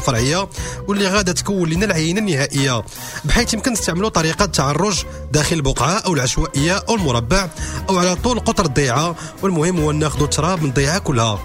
الفرعية واللي غادا تكون لنا العينة النهائية، بحيث يمكن نستعملوا طريقه التعرج داخل البقعة او العشوائية او المربع او على طول قطر الضيعة، والمهم هو ناخذوا التراب من الضيعة كلها.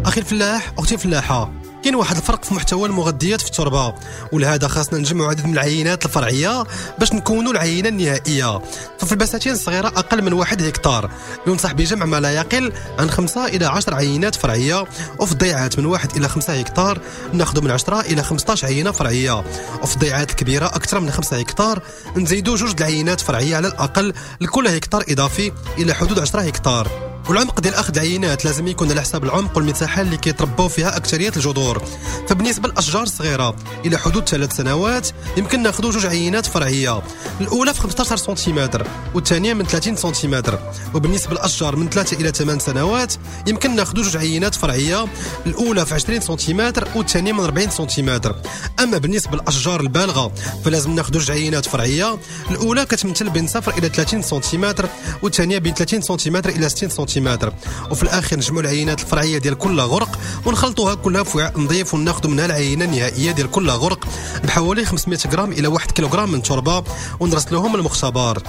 اخي الفلاح، اختي الفلاحة، كاين واحد الفرق في محتوى المغذيات في التربة، ولهذا خاصنا نجمعوا عدد من العينات الفرعية باش نكونوا العينة النهائية. ففي البساتين الصغيرة اقل من 1 هكتار ينصح بجمع ما لا يقل عن 5 الى 10 عينات فرعية، وفي الضيعات من 1 الى 5 هكتار ناخذ من 10 الى 15 عينه فرعية، وفي الضيعات الكبيرة اكثر من 5 هكتار نزيدوا 2 العينات فرعية على الاقل لكل هكتار اضافي الى حدود 10 هكتار. والعمق ديال اخذ العينات لازم يكون على حساب العمق والمساحة اللي كيترباو فيها اكثرية الجذور. فبالنسبه للاشجار الصغيرة الى حدود 3 سنوات يمكن ناخذ 2 عينات فرعية، الاولى في 15 سنتيمتر والثانية من 30 سنتيمتر. وبالنسبة للاشجار من 3 الى 8 سنوات يمكن ناخذ 2 عينات فرعية، الاولى في 20 سنتيمتر والثانية من 40 سنتيمتر. اما بالنسبة للاشجار البالغة فلازم ناخذ 2 عينات فرعية، الاولى كتمثل بين 0 الى 30 سنتيمتر والثانية بين 30 سنتيمتر الى 60 سنتيمتر. وفي الاخير نجمعوا العينات الفرعية ديال كل غرق ونخلطوها كلها في وعاء نظيف وناخذ منها العينة النهائية ديال كل غرق بحوالي 500 غرام الى 1 كيلوغرام من التربة ونرسلوهم للمختبر.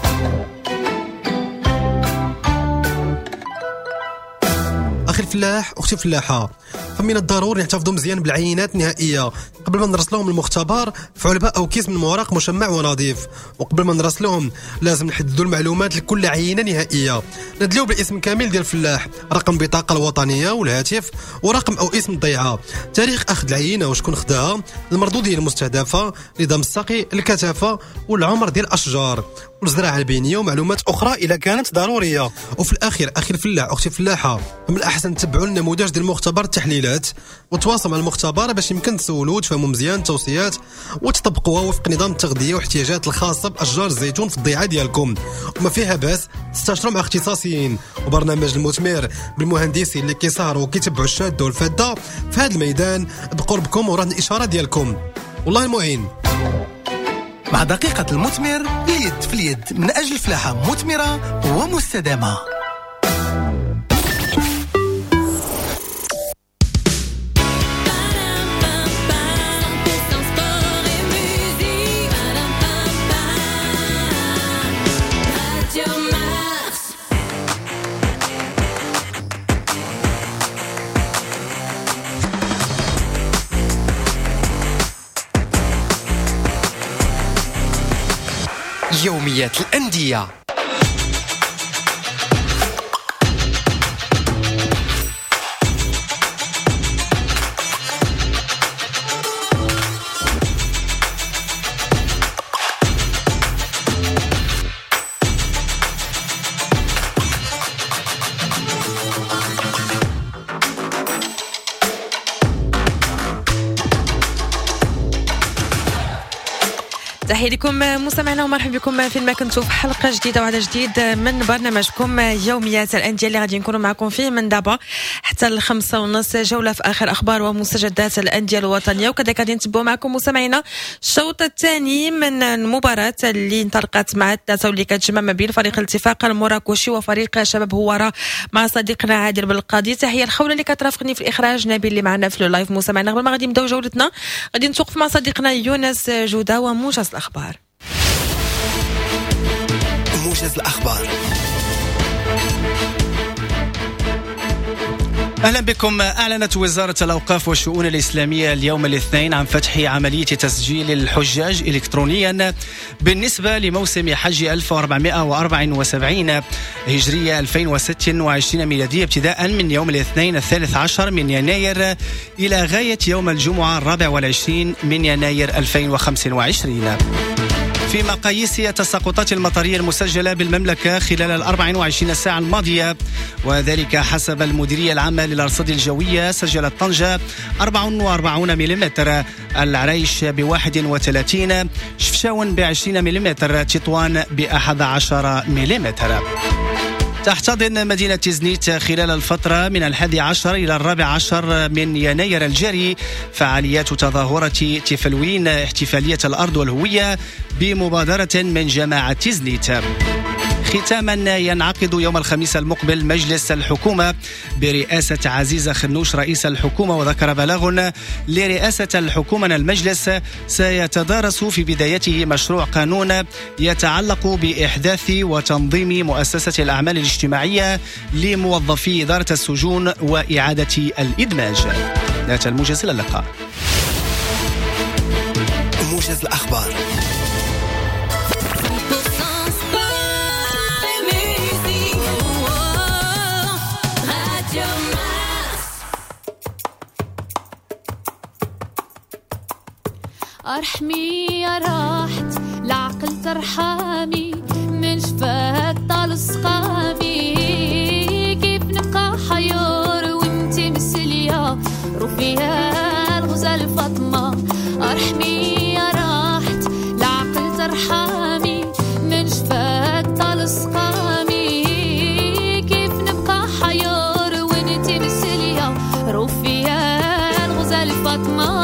اخي الفلاح، اختي الفلاحة، فمن الضروري نحتفظوا مزيان بالعينات النهائية قبل ما نرسلوهم للمختبر في علبة او كيس من ورق مشمع ونظيف. وقبل ما نرسلوهم لازم نحددوا المعلومات لكل عينه نهائية، ندليو بالاسم كامل ديال الفلاح، رقم البطاقة الوطنية والهاتف ورقم او اسم الضيعة، تاريخ اخذ العينة وشكون خداها، المردوديه المستهدفة، نظام السقي، الكثافة والعمر ديال الاشجار والزراعة البينية ومعلومات اخرى اذا كانت ضرورية. وفي الاخير اخي الفلاح، اختي الفلاحة، من الاحسن تتبعوا النموذج ديال مختبر التحليلات وتواصلوا مع المختبر باش يمكن تسولوا وتفهموا مزيان التوصيات وتطبقوها وفق نظام التغذية والاحتياجات الخاصة باشجار الزيتون في الضيعة ديالكم. وما فيها باس تستشروا مع اختصاصيين وبرنامج المثمر بالمهندسين اللي كيسهروا وكيتبعوا الشاده والفاده في هذا الميدان بقربكم ورهن الاشارة ديالكم. والله المعين. مع دقيقة المثمر، اليد في اليد من أجل فلاحة مثمرة ومستدامة. يوميات الأندية. تحية لكم مستمعينا ومرحبا بكم فين ما كنتوا في حلقة جديدة وعلى جديد من برنامجكم يوميات الأندية اللي غادي نكونوا معكم فيه من دابا حتى 5:30، جولة في آخر أخبار ومستجدات الأندية الوطنية. وكذلك غادي نتبعوا معكم مستمعينا الشوط الثاني من المباراة اللي انطلقت مع الثلاثة واللي كتجمع ما بين فريق الاتفاق المراكشي وفريق شباب هوارة مع صديقنا عادل بالقاضي. تحية الخولة اللي كترافقني في الإخراج، نبيل اللي معنا في ال live. مستمعينا قبل ما غادي نبداو جولتنا غادي نتوقف مع صديقنا يونس جودة وموجز الأخبار. موجز الأخبار. أهلا بكم. أعلنت وزارة الأوقاف والشؤون الإسلامية اليوم الاثنين عن فتح عملية تسجيل الحجاج إلكترونيا بالنسبة لموسم حج 1474 هجرية 2026 ميلادية ابتداء من يوم الاثنين 13 من يناير إلى غاية يوم الجمعة 24 من يناير 2025. في مقاييس التساقطات المطرية المسجلة بالمملكة خلال 24 ساعة الماضية، وذلك حسب المديرية العامة للأرصاد الجوية، سجلت طنجة 44 ملم، العريش ب31، شفشاون ب20 ملم، تطوان ب11 ملم. تحتضن مدينة تزنيت خلال الفترة من 11 إلى 14 من يناير الجاري فعاليات تظاهرة تفلوين احتفالية الأرض والهوية بمبادرة من جماعة تزنيت. ختاما، ينعقد يوم الخميس المقبل مجلس الحكومة برئاسة عزيزة خنوش رئيس الحكومة. وذكر بلاغ لرئاسة الحكومة أن المجلس سيتدارس في بدايته مشروع قانون يتعلق بإحداث وتنظيم مؤسسة الأعمال الاجتماعية لموظفي إدارة السجون وإعادة الإدماج. نهاية الموجز، إلى اللقاء. موجز الأخبار. ارحمي يا راحت العقل ترحمي، من شفاك طال سقامي، كيف نبقى حيور وانتي مسلية روفيها الغزال فاطمة. ارحمي يا راحت العقل ترحمي، من شفاك طال سقامي، كيف نبقى حيور وانتي مسلية روفيها الغزال فاطمة.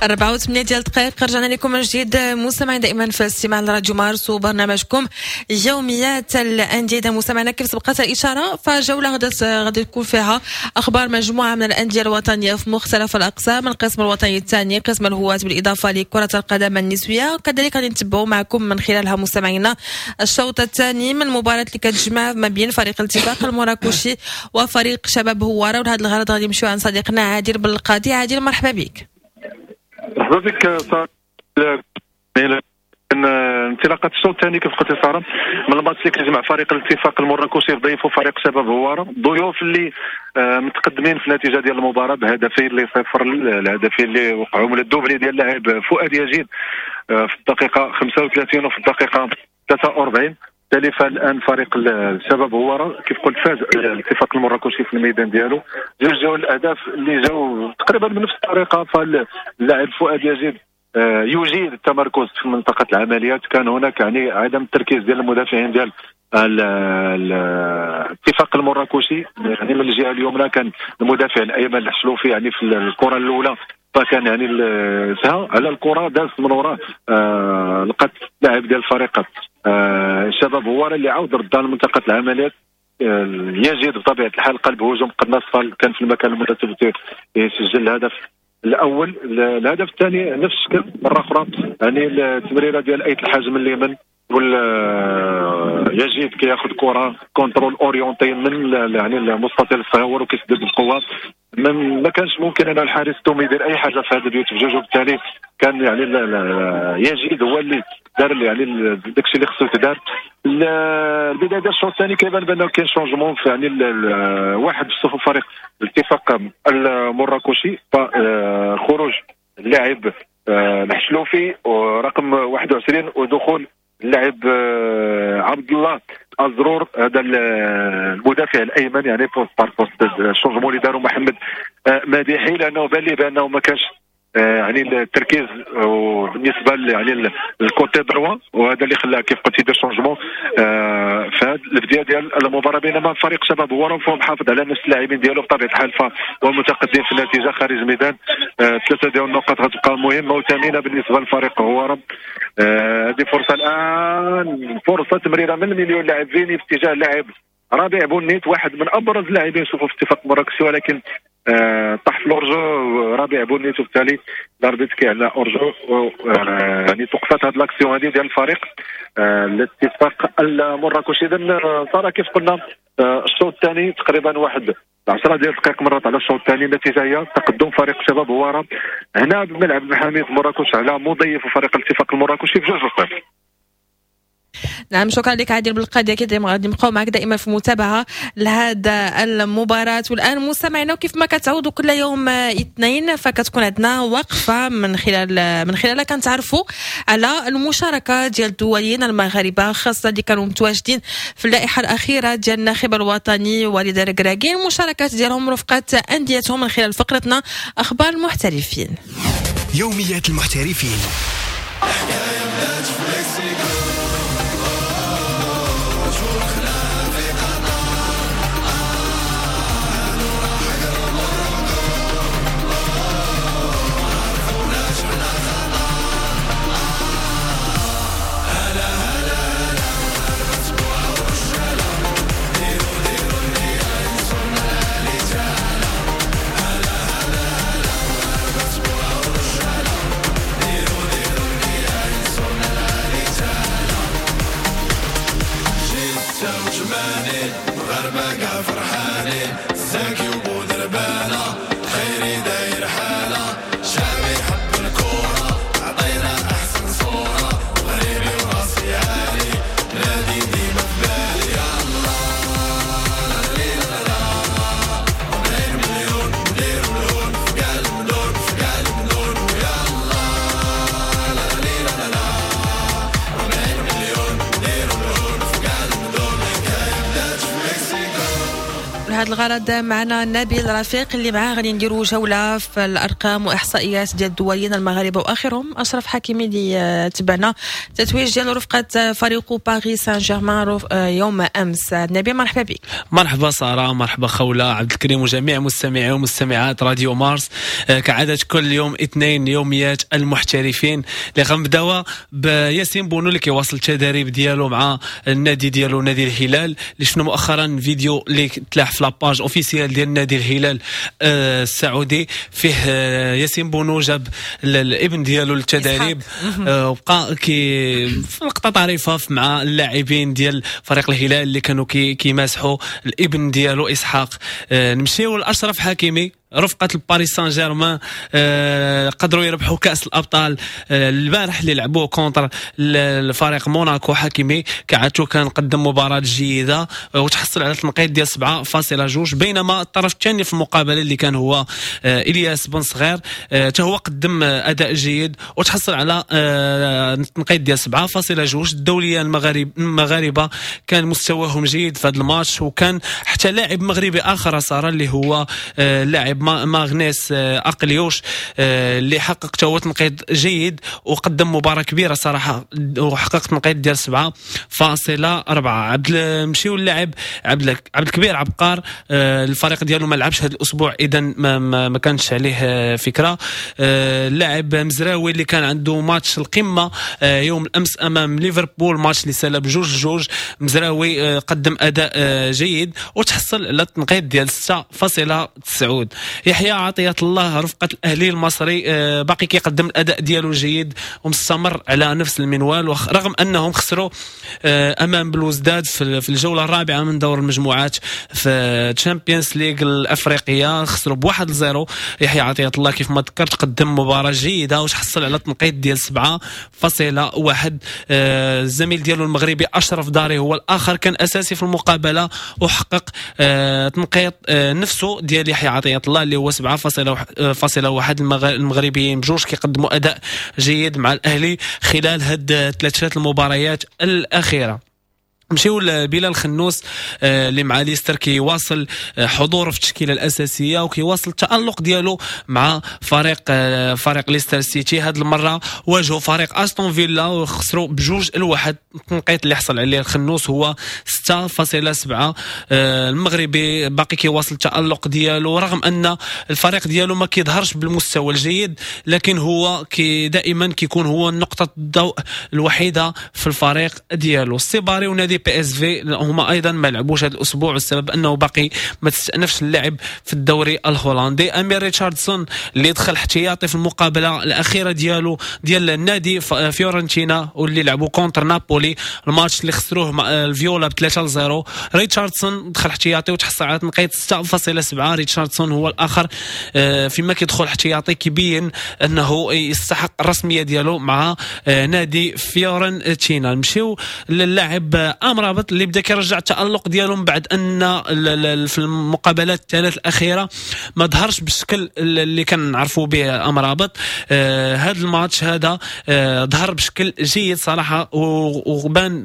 4:08 ديال الدقائق. رجعنا لكم من جديد مستمعين دائما في الاستماع لراديو مارس وبرنامجكم يوميات الأندية. مستمعينا كيف سبقت الإشارة فجولة غادي تكون فيها أخبار مجموعة من الأندية الوطنية في مختلف الأقسام، القسم الوطني الثاني، قسم الهواة، بالإضافة لكرة القدم النسوية. وكذلك غادي نتبعوا معكم من خلالها مستمعينا الشوط الثاني من المباراة اللي كتجمع ما بين فريق الاتفاق المراكشي وفريق شباب هوارة. ولهذا الغرض غادي نمشيو عند صديقنا عادل بالقاضي. عادل مرحبا بك. مرحبا بك سارة. انطلاقة الشوط الثاني كيف قلت سارة من الماتش اللي كيجمع فريق الاتفاق المراكشي ضيفه فريق شباب هوارة، ضيوف اللي متقدمين في النتيجة ديال المباراة بهدفين لصفر، الهدفين اللي وقعوا من ال doublé ديال اللاعب فؤاد يجيد في الدقيقة 35 وفي الدقيقة 43. بالتالي فالان فريق الشباب هوارة كيف قلت فاز الاتفاق المراكشي في الميدان ديالو، جوج جاو الاهداف اللي جاو تقريبا بنفس الطريقة. فاللاعب فؤاد يجيد يجيد التمركز في منطقة العمليات، كان هناك يعني عدم التركيز ديال المدافعين ديال الاتفاق المراكشي، يعني من الجهة اليمنى كان المدافع الايمن الحشلوفي يعني في الكره الاولى فكان يعني سها على الكره داز من وراه لقات لاعب ديال الفريق الشباب هوارة اللي عاود ردها لمنطقه العمليات. يجد بطبيعة الحال قلب هجوم قناص كان في المكان المناسب يسجل الهدف الاول. الهدف الثاني نفس الشكل مرة اخرى، يعني التمريره ديال ايت الحاج من اليمين وال يجد كياخذ كره contrôle orienté من يعني المستطيل الصغير وكيسدد بقوة، ما كانش ممكن ان الحارس توم يدير اي حاجة في هذا البيوت بجوج، وبالتالي كان يعني يجد هو اللي دار يعني داكشي اللي خصو يتدار. البداية ديال الشوط الثاني كيبان بانه كاين changement في يعني واحد في صفوف فريق الاتفاق المراكشي، فخروج اللاعب الحشلوفي ورقم 21 ودخول اللاعب عبد الله الزرور هذا المدافع الايمن، يعني poste par poste ال changement اللي داروا محمد مديحي، لانه بان لي بانه ما كانش يعني التركيز بالنسبة يعني ال côté droit، وهذا اللي خلاه كيف قلت يدير changement في هذه البداية ديال المباراة. بينما فريق شباب هوارة فهو محافظ على نفس اللاعبين ديالو بطبيعة الحال، فهو متقدم في النتيجة خارج الميدان. ثلاثة ديال النقاط غتبقى مهمة وثمينه بالنسبة لفريق هوارة. هذه فرصة الان، فرصة تمريره من المليون لاعب فيني في اتجاه اللاعب ربيع بونيت، واحد من ابرز اللاعبين شوفوا في اتفاق مراكشي، ولكن طاح في l'hors-jeu ربيع بونيت، وبالتالي l'arbitre كيعلى hors-jeu، يعني توقفات هذه l'action هذه ديال الفريق الاتفاق المراكشي. اذا صار كيف قلنا الشوط الثاني تقريبا واحد 10 ديال الدقائق مرت على الشوط الثاني، النتيجة هي تقدم فريق شباب هوارة هنا بملعب المحاميد مراكش على مضيف فريق الاتفاق المراكشي ب2-0. نعم شكرا لك عادل بالقاضي، اكيد غادي نبقاو معك دائما في متابعه لهذا المباراة. والان مستمعينا وكيف ما كتعودوا كل يوم اثنين فكتكون عندنا وقفه من خلالها كنتعرفوا على المشاركة ديال الدوليين المغاربة، خاصة اللي كانوا متواجدين في اللائحة الاخيرة ديال الناخب الوطني وليد الركراكي، المشاركات ديالهم رفقه انديتهم من خلال فقرتنا اخبار المحترفين. يوميات المحترفين. لهذا الغرض معنا نبيل رفيق اللي معاه غادي نديروا جولة في الارقام واحصائيات ديال الدوليين المغاربة، واخرهم اشرف حكيمي اللي تبعنا تتويج ديالو رفقه فريق باريس سان جيرمان يوم امس. نبيل مرحبا بك. مرحبا ساره، مرحبا خوله، عبد الكريم وجميع مستمعي ومستمعات راديو مارس. كعادة كل يوم اثنين يوميات المحترفين اللي غنبداوها بياسين بونو اللي كيواصل التدريب ديالو مع النادي ديالو نادي الهلال، اللي شفنا مؤخرا فيديو اللي تلاح في la page officielle ديال نادي الهلال السعودي، فيه ياسين بونو جاب الابن ديالو للتدريب وبقى كي في لقطة طريفه مع اللاعبين ديال فريق الهلال اللي كانوا كيماسحوا الابن ديالو اسحاق. نمشيو لاشرف حكيمي رفقة الباريس سان جيرمان، قدروا يربحوا كأس الأبطال البارح اللي لعبوه contre الفريق موناكو. حكيمي كعادته كان قدم مباراة جيدة وتحصل على تنقيط ديال 7.2، بينما الطرف الثاني في المقابلة اللي كان هو إلياس بن صغير حتى هو قدم أداء جيد وتحصل على تنقيط ديال 7.2. الدولية المغاربة كان مستواهم جيد في هذا الماتش، وكان حتى لاعب مغربي آخر صار اللي هو لاعب ماغنيس اقليوش اللي حقق تا هو تنقيط جيد وقدم مباراة كبيرة صراحة وحقق تنقيط ديال 7.4. نمشيو للاعب عبد الكبير عبقار، الفريق ديالو ما لعبش هذا الاسبوع، اذا ما كانش عليه فكرة. اللاعب مزراوي اللي كان عنده ماتش القمه يوم الامس امام ليفربول، ماتش اللي سال ب2-2، مزراوي قدم اداء جيد وتحصل على التنقيط ديال 6.9. يحيى عطية الله رفقة الأهلي المصري باقي كيقدم الأداء ديالو جيد ومستمر على نفس المنوال، رغم أنهم خسروا أمام بلوزداد في الجولة الرابعة من دور المجموعات في تشامبيونز ليغ الأفريقية، خسروا ب1-0. يحيى عطية الله كيف ما ذكرت قدم مباراة جيدة وتحصل على تنقيط ديال 7.1. الزميل ديالو المغربي أشرف داري هو الآخر كان أساسي في المقابلة وحقق تنقيط نفسه ديال يحيى عطية الله اللي هو 7.1. المغربيين بجوج كيقدموا أداء جيد مع الأهلي خلال هاد ثلاث المباريات الأخيرة. نمشيو لبلال خنوس اللي مع ليستر كيواصل حضوره في التشكيلة الاساسية وكيواصل التالق ديالو مع فريق ليستر سيتي. هذه المرة واجهوا فريق استون فيلا وخسروا 2-1. التنقيط اللي حصل عليه الخنوس هو 6.7. المغربي باقي كيواصل التالق ديالو رغم ان الفريق ديالو ما كيظهرش بالمستوى الجيد، لكن هو دائما كيكون هو نقطة الضوء الوحيدة في الفريق ديالو. السيباري ونادي بي اس في هما ايضا ما لعبوش هذا الاسبوع والسبب انه باقي ما تستأنفش اللعب في الدوري الهولندي. امير ريتشاردسون اللي دخل احتياطي في المقابلة الاخيرة ديالو ديال النادي فيورنتينا واللي لعبوا contre نابولي، الماتش اللي خسروه مع الفيولا ب3-0، ريتشاردسون دخل احتياطي وتحصل على تنقيط 6.7. ريتشاردسون هو الاخر فيما كيدخل احتياطي كيبين انه يستحق الرسمية ديالو مع نادي فيورنتينا. نمشيو للاعب أمرابط اللي بدا كيرجع التألق ديالو من بعد ان في المقابلات الثلاث الاخيرة ما ظهرش بالشكل اللي كنعرفوا به أمرابط. هذا الماتش هذا ظهر بشكل جيد صراحة وبان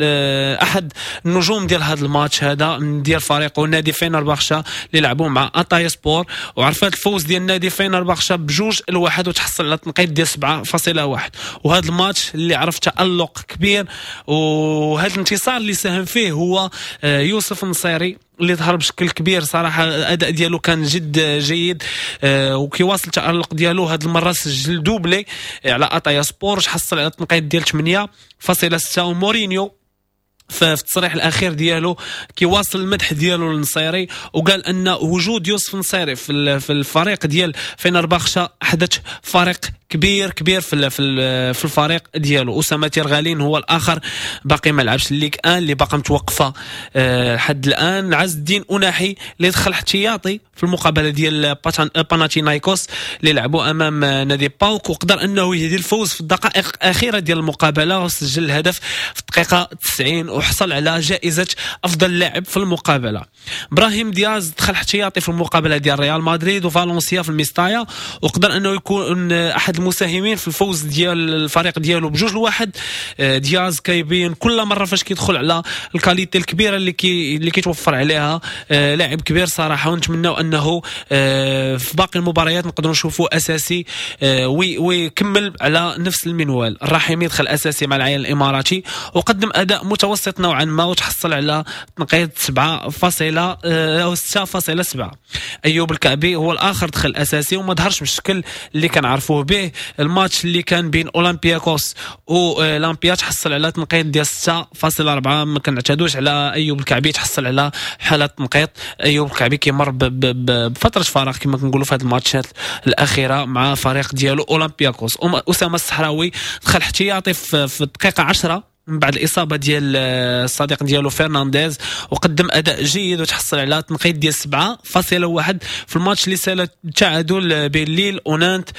احد النجوم ديال هذا الماتش هذا ديال فريقه نادي فينرباخشة اللي لعبوا مع أطاي سبور، وعرفات الفوز ديال نادي فينرباخشة 2-1 وتحصل على تنقيط ديال 7.1. وهذا الماتش اللي عرف تألق كبير، وهذا الانتصار اللي ساهم فيه هو يوسف النصيري اللي ظهر بشكل كبير صراحة، الاداء ديالو كان جد جيد وكيواصل التألق ديالو. هذه المرة سجل doublé على أطايا سبور، حصل على تنقيط ديال 8.6. ومورينيو في التصريح الاخير ديالو كيواصل المدح ديالو للنصيري وقال ان وجود يوسف النصيري في الفريق ديال فينرباخشة احدث فريق كبير كبير في الفريق ديالو. اسامة تيرغالين هو الاخر باقي ما لعبش الليغ 1 اللي باقي متوقفه لحد الان. عز الدين أناحي اللي دخل احتياطي في المقابلة ديال باناتينايكوس اللي لعبوا امام نادي باوك، وقدر انه يهدي الفوز في الدقائق الاخيرة ديال المقابلة وسجل الهدف في الدقيقة الدقيقة 90 وحصل على جائزة افضل لاعب في المقابلة. ابراهيم دياز دخل احتياطي في المقابلة ديال ريال مدريد وفالنسيا في الميستايا، وقدر انه يكون احد المساهمين في الفوز ديال الفريق ديالو ب2-1. دياز كيبين كل مرة فاش كيدخل على ال qualité الكبيرة اللي كيتوفر عليها، لاعب كبير صراحة، ونتمناو انه في باقي المباريات نقدروا نشوفوه اساسي ويكمل على نفس المنوال. الرحيمي دخل اساسي مع العين الاماراتي وقدم اداء متوسط نوعا ما وتحصل على تنقيط 7.6.7. ايوب الكعبي هو الاخر دخل اساسي وما ظهرش بالشكل اللي كنعرفوه به. الماتش اللي كان بين اولمبياكوس ولامبيا تحصل على تنقيط ديال 6.4. ما كنعتادوش على ايوب الكعبي تحصل على حاله تنقيط. ايوب الكعبي كيمر بفترة فراغ كما كنقولوا في هذه الماتشات الاخيرة مع فريق ديالو اولمبياكوس. اسامة الصحراوي دخل احتياطي في الدقيقة 10 من بعد الاصابة ديال الصديق ديالو فرنانديز، وقدم اداء جيد وتحصل على تنقيط ديال 7.1 في الماتش اللي سالت التعادل بين ليل ونانت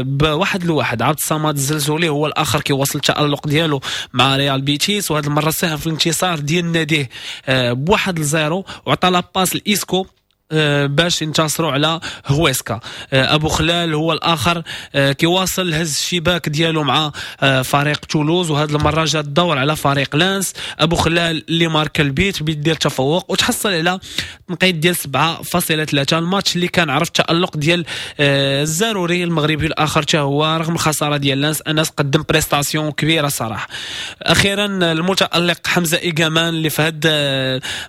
ب1-1. عبد الصمد الزلزولي هو الاخر كيواصل التالق ديالو مع ريال بيتيس، وهذه المرة ساهم في الانتصار ديال ناديه ب1-0 وعطى la passe لايسكو باش ينتصروا على هويسكا. ابو خلال هو الاخر كيواصل هز الشباك ديالو مع فريق تولوز، وهذه المرة جا الدور على فريق لانس. ابو خلال اللي مارك البيت بيدير تفوق وتحصل على تنقيط ديال 7.3. الماتش اللي كان عرف التالق ديال الزاروري المغربي الاخر حتى هو رغم الخسارة ديال لانس، انس قدم prestation كبيرة صراحة. اخيرا المتالق حمزة ايغامان اللي في هاد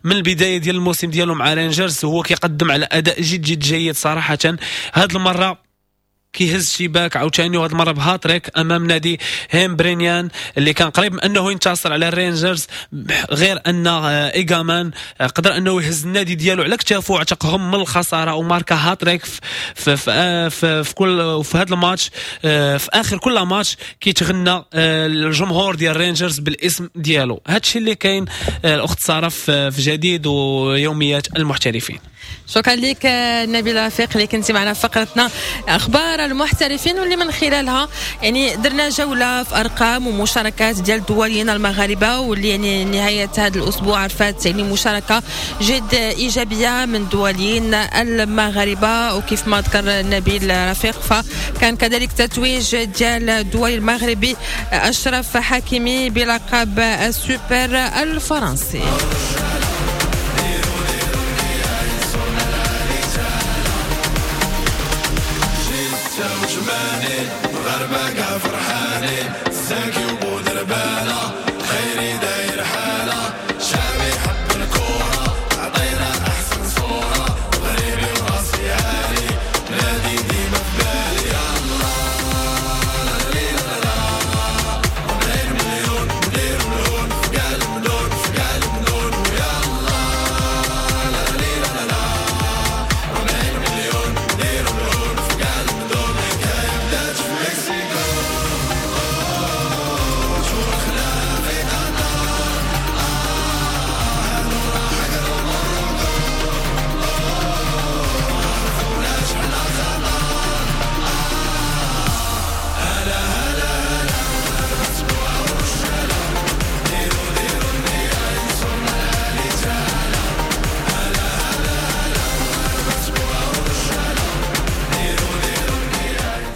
من البداية ديال الموسم ديالو مع رينجرز هو كيقدم على اداء جد جد جيد صراحة. هاد المرة كيهز شباك عاوتاني، وهاد المرة بهاتريك امام نادي هيمبرينيان اللي كان قريب من انه ينتصر على الرينجرز، غير ان ايغامان قدر انه يهز النادي ديالو على كتافه وعتقهم من الخسارة وماركا هاتريك في في في, في كل في هذا الماتش. في اخر كل ماتش كيتغنى الجمهور ديال الرينجرز بالاسم ديالو. هادشي اللي كاين الاخت ساره في جديد ويوميات المحترفين. شكرا لك نبيل رفيق اللي كنتي معنا في فقرتنا اخبار المحترفين، واللي من خلالها يعني درنا جولة في ارقام ومشاركات ديال الدوليين المغاربة، واللي يعني نهاية هذا الاسبوع عرفت يعني مشاركة جد ايجابية من الدوليين المغاربة. وكيف ما ذكر نبيل رفيق فكان كذلك تتويج ديال الدولي المغربي اشرف حكيمي بلقب السوبر الفرنسي.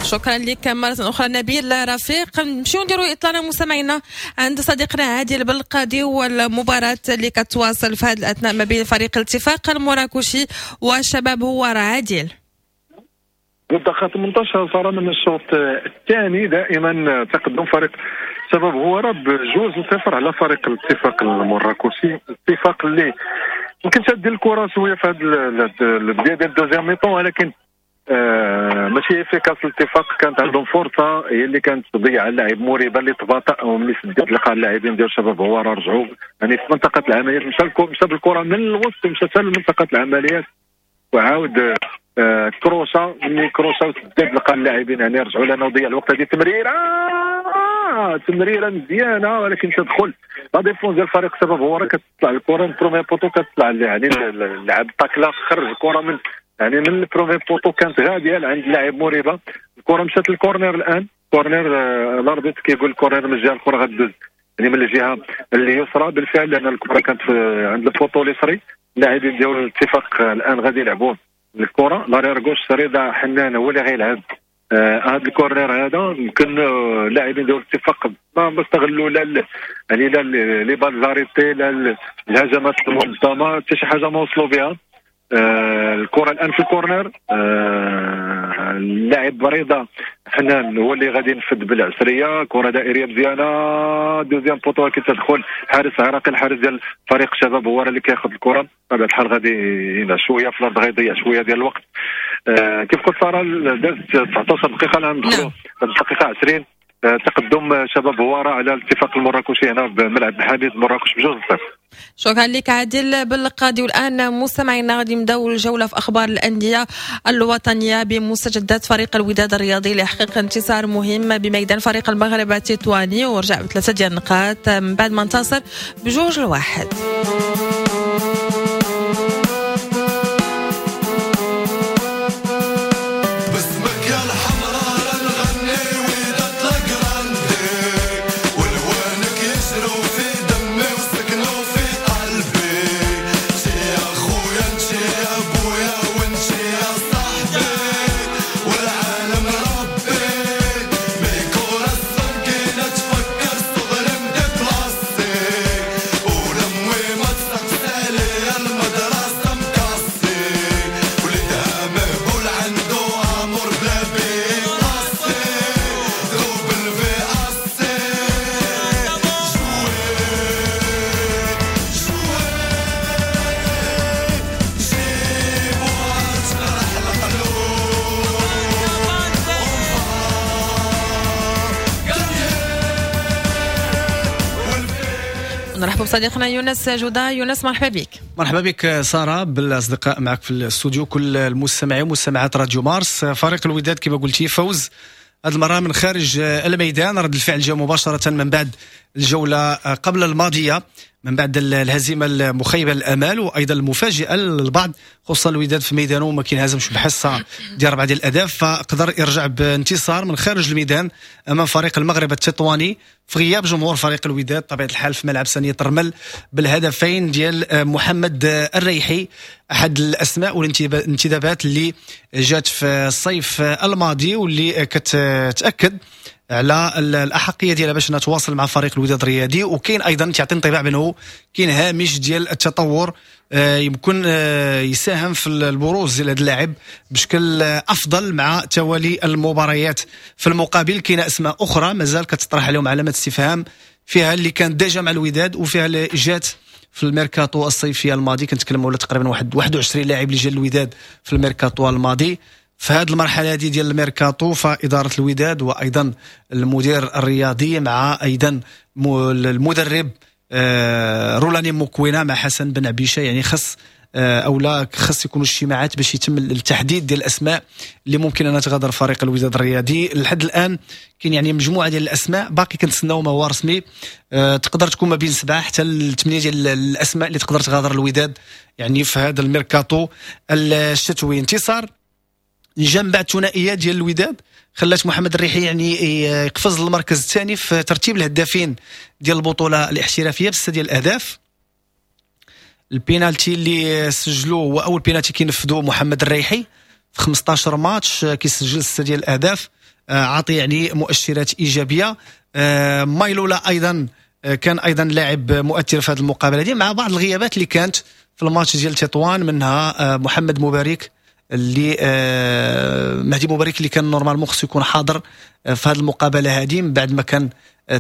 شكرا لك مرة أخرى نبيل رفيق. نمشيو نديرو إطلالة مستمعينا عند صديقنا عادل بالقاضي والمباراة اللي كتواصل في هذا الأثناء ما بين فريق الاتفاق المراكشي والشباب هوارة. عادل، الدقيقة 18 صار من الشوط الثاني، دائما تقدم فريق شباب هوارة ب2-0 على فريق الاتفاق المراكشي. الاتفاق اللي يمكن شاد الكرة شوية في هذا البداية ديال ال deuxième mi-temps، ولكن ماشي efficace. الاتفاق كانت عندهم فرصة هي اللي كانت تضيع اللاعب مريبه اللي تباطأ، وملي سدات لقى اللاعبين ديال شباب هوارة رجعوا يعني في منطقة العمليات، مشى بالكرة من الوسط ومشى حتى لمنطقه العمليات وعاود كروشا، ملي كروشا وسدات لقى اللاعبين يعني رجعوا لانه ضيع الوقت. هذه تمريره مزيانه ولكن تدخل la défense ديال فريق شباب هوارة كتطلع الكره من premier poteau، كتطلع يعني اللاعب تاكلا خرج الكره من يعني من ال premier poteau كانت غادية لعند اللاعب مريبه. الكره مشات لل corner الان، corner l'arbitre كيقول corner من الجهة الاخرى غدوز يعني من الجهة اليسرى. بالفعل لان الكره كانت عند ال poteau اليسري. اللاعبين ديال الاتفاق الان غادي يلعبوا الكره. l'arrière gauche رضا حنان هو اللي غيلعب هذا ال corner هذا. يمكن اللاعبين ديال الاتفاق ما استغلوا لا يعني لا les balles arrêtées لا الهجمات المنظمة، حتى شي حاجة ما وصلوا بها. الكره الان في ال corner، اللاعب رضا حنان هو اللي غادي ينفذ بالعسريه. كره دائريه مزيانه، deuxième poteau كتدخل حارس عراقي، الحارس ديال فريق الشباب هو اللي كياخذ الكره. بطبيعة الحال غادي ينعس شوية في الارض، غيضيع شوية ديال الوقت. كيف قلت ساره دازت 19 دقيقة، الان ندخلوا الدقيقة 20. تقدم شباب هوارة على الاتفاق المراكشي هنا بملعب حميد مراكش ب2-0. شكرا لك عادل بالقاضي. والان مستمعينا غادي نبداو الجولة في اخبار الاندية الوطنية بمستجدات فريق الوداد الرياضي ليحقق انتصار مهم بميدان فريق المغرب التطواني ورجع بثلاثة ديال النقاط من بعد ما انتصر ب2-1. نرحب بصديقنا يونس جودا. يونس مرحبا بك. مرحبا بك سارة، بالأصدقاء معك في الاستوديو، كل المستمعين ومستمعات راديو مارس. فريق الوداد كما قلتي فوز هذه المرة من خارج الميدان، رد الفعل جاء مباشرة من بعد الجولة قبل الماضية، من بعد الهزيمة المخيبة للأمال وأيضا المفاجئة للبعض، خصوصا الوداد في ميدانه ما كينهزمش بحصة ديال 4 ديال الأهداف، فقدر يرجع بانتصار من خارج الميدان أمام فريق المغرب التطواني في غياب جمهور فريق الوداد طبيعة الحال في ملعب سانية الرمل بالهدفين ديال محمد الريحي، أحد الأسماء والانتدابات اللي جات في الصيف الماضي واللي كتأكد على الأحقية ديالها باش نتواصل مع فريق الوداد الرياضي. وكاين أيضا تعطي انطباع بأنه كاين هامش ديال التطور يمكن يساهم في البروز ديال هذا اللاعب بشكل أفضل مع توالي المباريات. في المقابل كاين أسماء أخرى مازال كتطرح عليهم علامة استفهام، فيها اللي كان déjà مع الوداد وفيها اللي جات في الميركاتو الصيفي الماضي. كنتكلموا على تقريبا 21 لاعب اللي جا الوداد في الميركاتو الماضي. في هذه المرحلة هذه ديال الميركاتو فإدارة الوداد وأيضا المدير الرياضي مع أيضا المدرب رولاني موكوينا مع حسن بن عبيشة، يعني خص أو لا خص يكونوا اجتماعات باش يتم التحديد ديال الأسماء اللي ممكن أن تغادر فريق الوداد الرياضي. لحد الآن كاين يعني مجموعة ديال الأسماء باقي كنتسناو ما هو رسمي، تقدر تكون ما بين 7 حتى 8 ديال الأسماء اللي تقدر تغادر الوداد يعني في هذا الميركاتو الشتوي. انتصار جا من بعد ثنائية ديال الوداد خلات محمد الريحي يعني يقفز للمركز الثاني في ترتيب الهدافين ديال البطولة الاحترافية ب6 ديال الاهداف. البينالتي اللي سجلوه هو اول بينالتي كينفذوه محمد الريحي في 15 ماتش، كيسجل 6 ديال الاهداف، عاطي يعني مؤشرات ايجابية. مايلولا ايضا كان ايضا لاعب مؤثر في هذه المقابلة دي مع بعض الغيابات اللي كانت في الماتش ديال تطوان، منها محمد مبارك اللي مهدي مبارك اللي كان normalement خصو يكون حاضر في هذه المقابلة هذه من بعد ما كان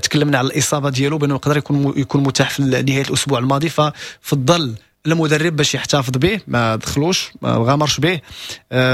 تكلمنا على الاصابة ديالو بانه يقدر يكون متاح في نهاية الاسبوع الماضي، ففضل المدرب باش يحتفظ به، ما دخلوش ما غامرش به،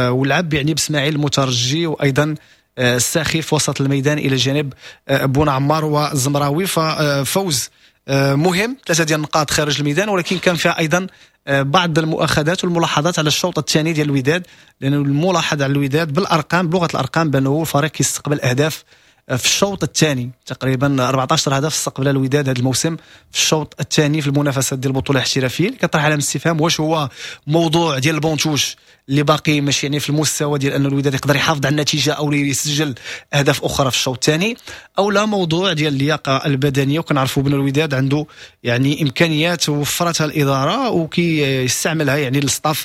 ولعب يعني باسماعيل المترجي وايضا الساخي في وسط الميدان الى جانب بون عمار والزمراوي. ففوز مهم، 3 ديال النقاط خارج الميدان، ولكن كان فيها ايضا بعض المؤاخذات والملاحظات على الشوط الثاني ديال الوداد، لأنه الملاحظ على الوداد بالارقام بلغه الارقام بانه الفريق كيستقبل اهداف في الشوط الثاني. تقريبا 14 هدف استقبل الوداد هذا الموسم في الشوط الثاني في المنافسات ديال البطولة الاحترافية. كطرح علامة استفهام واش هو موضوع ديال ال banc de touche اللي باقي ماشي يعني في المستوى ديال ان الوداد يقدر يحافظ على النتيجة او يسجل اهداف اخرى في الشوط الثاني، او لا موضوع ديال اللياقة البدنية. وكنعرفوا بان الوداد عنده يعني امكانيات وفرتها الادارة وكيستعملها يعني ال staff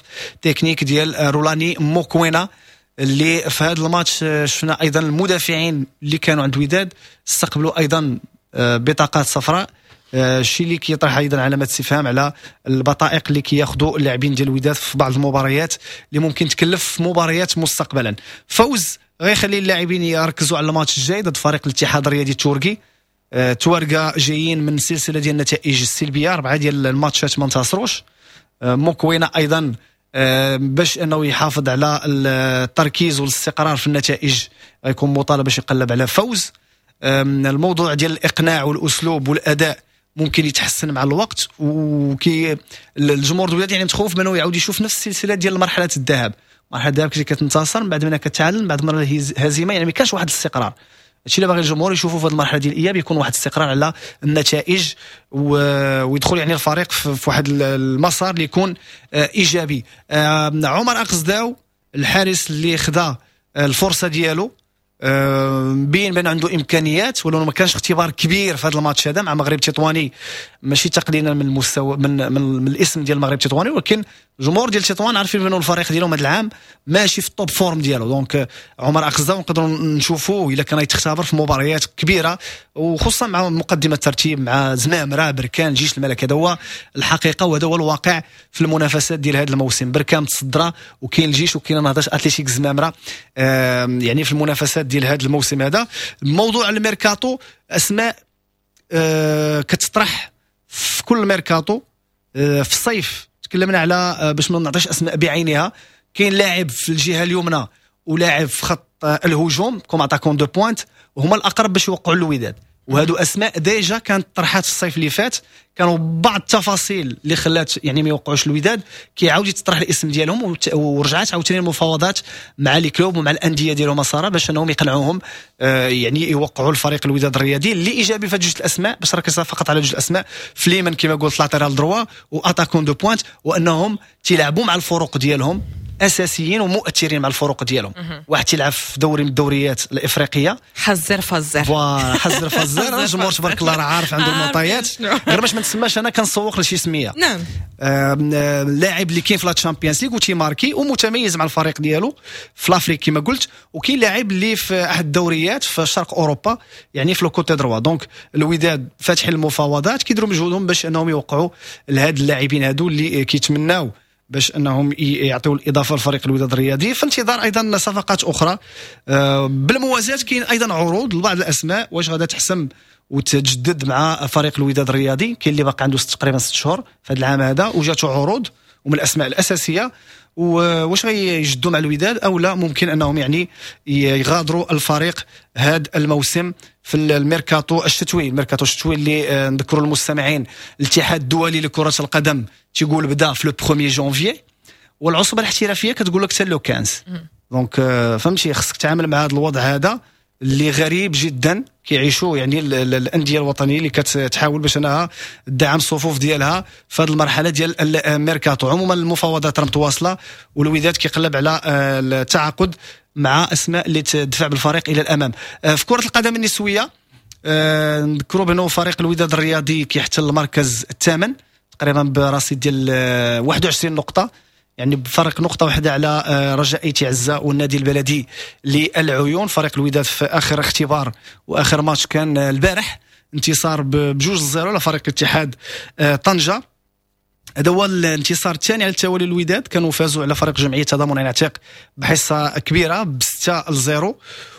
technique ديال رولاني موكوينا، اللي في هذا الماتش شفنا ايضا المدافعين اللي كانوا عند الوداد استقبلوا ايضا بطاقات صفراء، الشيء اللي كيطرح ايضا علامات استفهام على البطائق اللي كياخذوا اللاعبين ديال الوداد في بعض المباريات اللي ممكن تكلف في مباريات مستقبلا. فوز غيخلي اللاعبين يركزوا على الماتش الجاي ضد فريق الاتحاد الرياضي التركي. توارقه جايين من سلسلة ديال النتائج السلبية، 4 ديال الماتشات ما انتصروش. موكوينا ايضا باش انه يحافظ على التركيز والاستقرار في النتائج غيكون مطالب باش يقلب على فوز. الموضوع ديال الاقناع والاسلوب والاداء ممكن يتحسن مع الوقت، وكي الجمهور الوداد يعني متخوف منه يعاود يشوف نفس السلسلة ديال مرحلة الذهاب. مرحلة الذهب كنتي كتنتصر، من بعد منها كتعلم، بعد مرة هزيمة، يعني ما كانش واحد الاستقرار. هادشي اللي باغي الجمهور يشوفوا في هذه المرحلة ديال الاياب، يكون واحد الاستقرار على النتائج ويدخل يعني الفريق في واحد المسار اللي يكون ايجابي. عمر اقصداو الحارس اللي خدا الفرصة ديالو بين بان عنده امكانيات، ولو ما كانش اختبار كبير في هذا الماتش هذا مع مغرب تطواني، ماشي تقليلا من المستوى من, من, من الاسم ديال المغرب تطواني، ولكن الجمهور ديال تطوان عارفين بانه الفريق ديالهم هذا العام ماشي في ال top forme ديالو. donc عمر اقصداو نقدروا نشوفوه الا كان يتختبر في مباريات كبيرة، وخصوصا مع مقدمه الترتيب مع زمامرة بركان جيش الملك. هذا هو الحقيقة وهذا هو الواقع في المنافسات ديال هذا الموسم. بركان متصدره وكاين الجيش وكاين نهضة اتليتيك زمامرة يعني في المنافسات ديال هذا الموسم هذا. موضوع الميركاتو، اسماء كتطرح في كل ميركاتو. في الصيف تكلمنا على باش ما نعطيش اسماء بعينها، كاين لاعب في الجهة اليمنى ولاعب في خط الهجوم comme attaquant de pointe، وهما الاقرب باش يوقعوا الوداد. وهادو اسماء déjà كانت طرحات في الصيف اللي فات، كانوا بعض التفاصيل اللي خلات يعني ما يوقعوش الوداد، كيعاود يتطرح الاسم ديالهم، ورجعت عاوتاني المفاوضات مع les clubs ومع الاندية ديالهم ساره باش انهم يقنعوهم يعني يوقعوا الفريق الوداد الرياضي. اللي ايجابي في جوج الاسماء، باش ركز فقط على جوج الاسماء، فليمن كما قلت latéral droit و attaquant de pointe، وانهم تيلعبوا مع الفرق ديالهم اساسيين ومؤثرين مع الفرق ديالهم. واحد تيلعب في دوري من الدوريات الافريقية، حزر فزر، voilà حزر فزر. الجمهور تبارك الله راه عارف عنده المعطيات، غير باش ما نتسماش انا كنسوق لشي سميه. نعم، لاعب اللي كاين في la Champions League وتيماركي ومتميز مع الفريق ديالو في l'Afrique كما قلت، وكاين لاعب اللي في احد الدوريات في شرق اوروبا يعني في le côté droit. donc الوداد فاتحين المفاوضات، كيديروا مجهودهم باش انهم يوقعوا لهاد اللاعبين هادو اللي كيتمناو باش انهم يعطيو الاضافة لفريق الوداد الرياضي، في انتظار ايضا صفقات اخرى. بالموازاه كاين ايضا عروض لبعض الاسماء واش غادا تحسم وتجدد مع فريق الوداد الرياضي. كاين اللي باقي عنده تقريبا 6 شهور في هذا العام هذا وجاته عروض ومن الاسماء الاساسية، واش غيجدوا مع الوداد او لا، ممكن انهم يعني يغادروا الفريق هذا الموسم في الميركاتو الشتوي. الميركاتو الشتوي اللي نذكروا المستمعين، الاتحاد الدولي لكرة القدم تيقول بدا في le 1 جانفي، والعصبه الاحترافية كتقول لك حتى le 15. donc فهمتي، خصك تعامل مع هذا الوضع هذا اللي غريب جدا كيعيشوا يعني الاندية الوطنية اللي كتحاول باش انها تدعم الصفوف ديالها في هذه المرحلة ديال الميركاتو. عموما المفاوضات راه متواصلة، والوداد كيقلب على التعاقد مع اسماء اللي تدفع بالفريق الى الامام. في كره القدم النسوية نذكروا بانه فريق الوداد الرياضي كيحتل المركز الثامن تقريبا برصيد ديال 21 نقطة، يعني بفرق نقطة واحدة على رجاء ايتي عزة والنادي البلدي للعيون. فريق الوداد في آخر اختبار وآخر ماتش كان البارح، انتصار ب2-0 على فريق اتحاد طنجة. هذا هو الانتصار الثاني على التوالي الوداد، كانوا فازوا على فريق جمعية تضامن العتيق بحصة كبيرة ب6-0،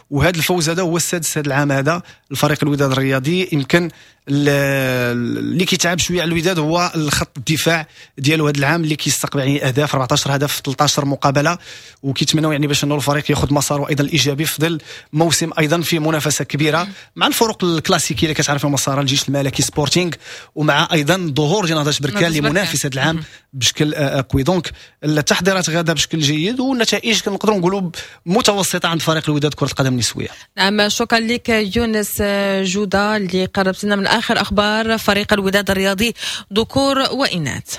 وهذا الفوز هذا هو السادس هذا العام هذا الفريق الوداد الرياضي. يمكن اللي كيتعب شوية على الوداد هو الخط الدفاع ديالو هذا العام اللي كيستقبل يعني اهداف 14 هدف في 13 مقابله، وكيتمنوا يعني باش انه الفريق ياخذ مساره ايضا الايجابي في ظل موسم ايضا في منافسه كبيرة مع الفرق الكلاسيكية اللي كتعرفها مسار الجيش الملكي سبورتينغ، ومع ايضا ظهور ديال نهضة بركان اللي منافس هذا العام بشكل قوي. donc التحضيرات غاده بشكل جيد والنتائج كنقدروا نقولوا متوسطه عند فريق الوداد كره القدم النسوية. نعم، شكرا لك يونس جوده اللي قربت لنا من اخر اخبار فريق الوداد الرياضي ذكور واناث.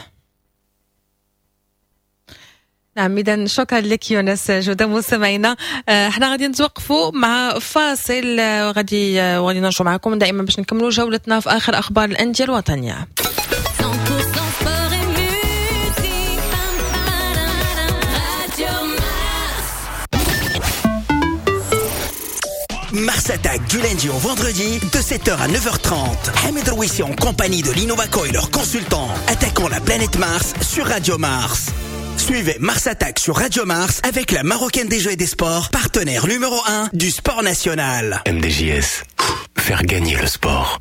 نعم، اذا شكرا لك يونس جوده. مستمعينا احنا غادي نتوقفوا مع فاصل غادي نرجعوا معكم دائما باش نكملوا جولتنا في اخر اخبار الاندية الوطنية. Mars Attack du lundi au vendredi de 7h à 9h30. Hamid Rouissi en compagnie de l'Innovaco et leurs consultants attaquant la planète Mars sur Radio Mars. Suivez Mars Attack sur Radio Mars avec la Marocaine des Jeux et des Sports, partenaire numéro 1 du sport national. MDJS, faire gagner le sport.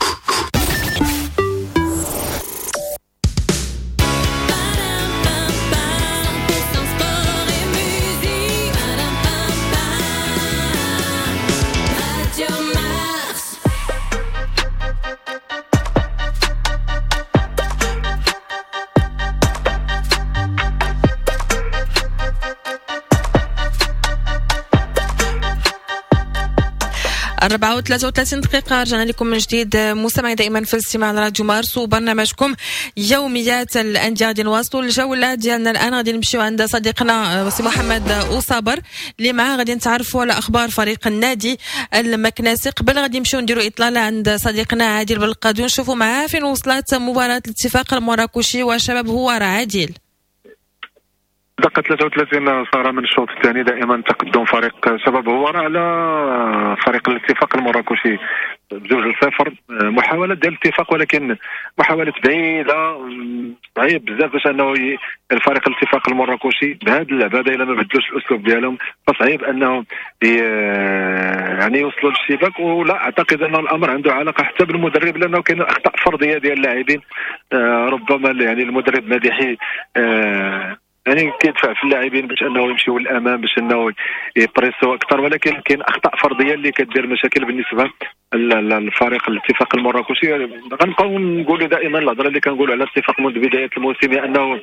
أربعة وثلاثة وثلاثين دقيقة، رجعنا لكم من جديد مستمعي دائما في الاستماع لراديو مارس وبرنامجكم يوميات الأندية. غادي نواصلوا الجولة ديالنا الآن، غادي نمشيو عند صديقنا سي محمد أوصابر اللي معاه غادي نتعرفوا على أخبار فريق النادي المكناسي. قبل غادي نمشيو نديروا إطلالة عند صديقنا عادل بالقادي ونشوفوا معاه فين وصلت مباراة الاتفاق المراكشي وشباب هوارة. عادل، دقة 33 صار من الشوط الثاني، دائما تقدم فريق شباب هوارة على فريق الاتفاق المراكشي 2-0. محاولة ديال الاتفاق ولكن محاولة بعيدة، صعيب بزاف باش انه الفريق الاتفاق المراكشي بهذا اللعبة هذا الا ما بدلوش الاسلوب ديالهم فصعيب انهم يعني يوصلوا للشباك. ولا اعتقد ان الامر عنده علاقة حتى بالمدرب، لانه كاين اخطاء فردية ديال اللاعبين، ربما يعني المدرب مديحي يعني كيدفع في اللاعبين باش انه يمشيو للامام باش انه يبريسوا اكثر، ولكن كاين اخطاء فردية اللي كدير مشاكل بالنسبة للفريق الاتفاق المراكشي. غنبقاو نقولوا دائما الهضرة اللي كنقولوا على الاتفاق منذ بداية الموسم، انه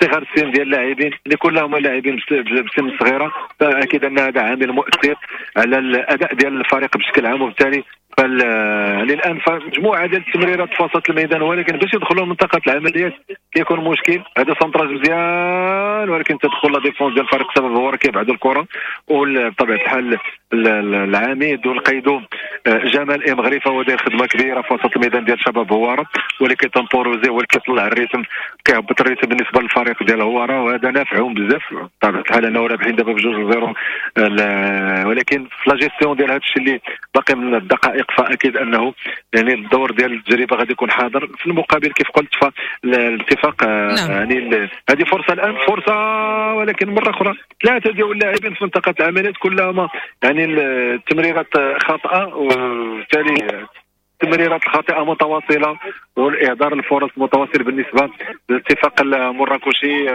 صغر السن ديال اللاعبين اللي كلهم لاعبين بسن صغيرة، فاكيد ان هذا عامل مؤثر على الاداء ديال الفريق بشكل عام. وبالتالي للان مجموعة ديال التمريرات في وسط الميدان، ولكن باش يدخلوا منطقة العمليات كيكون مشكل. هذا centrage مزيان ولكن تدخل la défense ديال فريق شباب هوارة كيبعدوا الكره، وبطبيعة الحال العميد والقيدوم جمال امغريفه هو داير خدمة كبيرة في وسط الميدان ديال شباب هوارة، ولكن temporiser هو اللي كيطلع ال rythme، كيهبط ال rythme بالنسبة للفريق ديال هوارة، وهذا نافعهم بزاف بطبيعة الحال انه رابحين دابا ب2-0، ولكن في la gestion ديال هذا الشيء اللي باقي من الدقائق فاكيد انه يعني الدور ديال التجربة غادي يكون حاضر. في المقابل كيف قلت فالاتفاق يعني هذه فرصة الان، فرصة ولكن مرة اخرى ثلاثة ديال اللاعبين في منطقة العمليات كلها يعني التمريرات خاطئه، وبالتالي التمريرات الخاطئة متواصلة والاهدار الفرص متواصل بالنسبة للاتفاق المراكشي.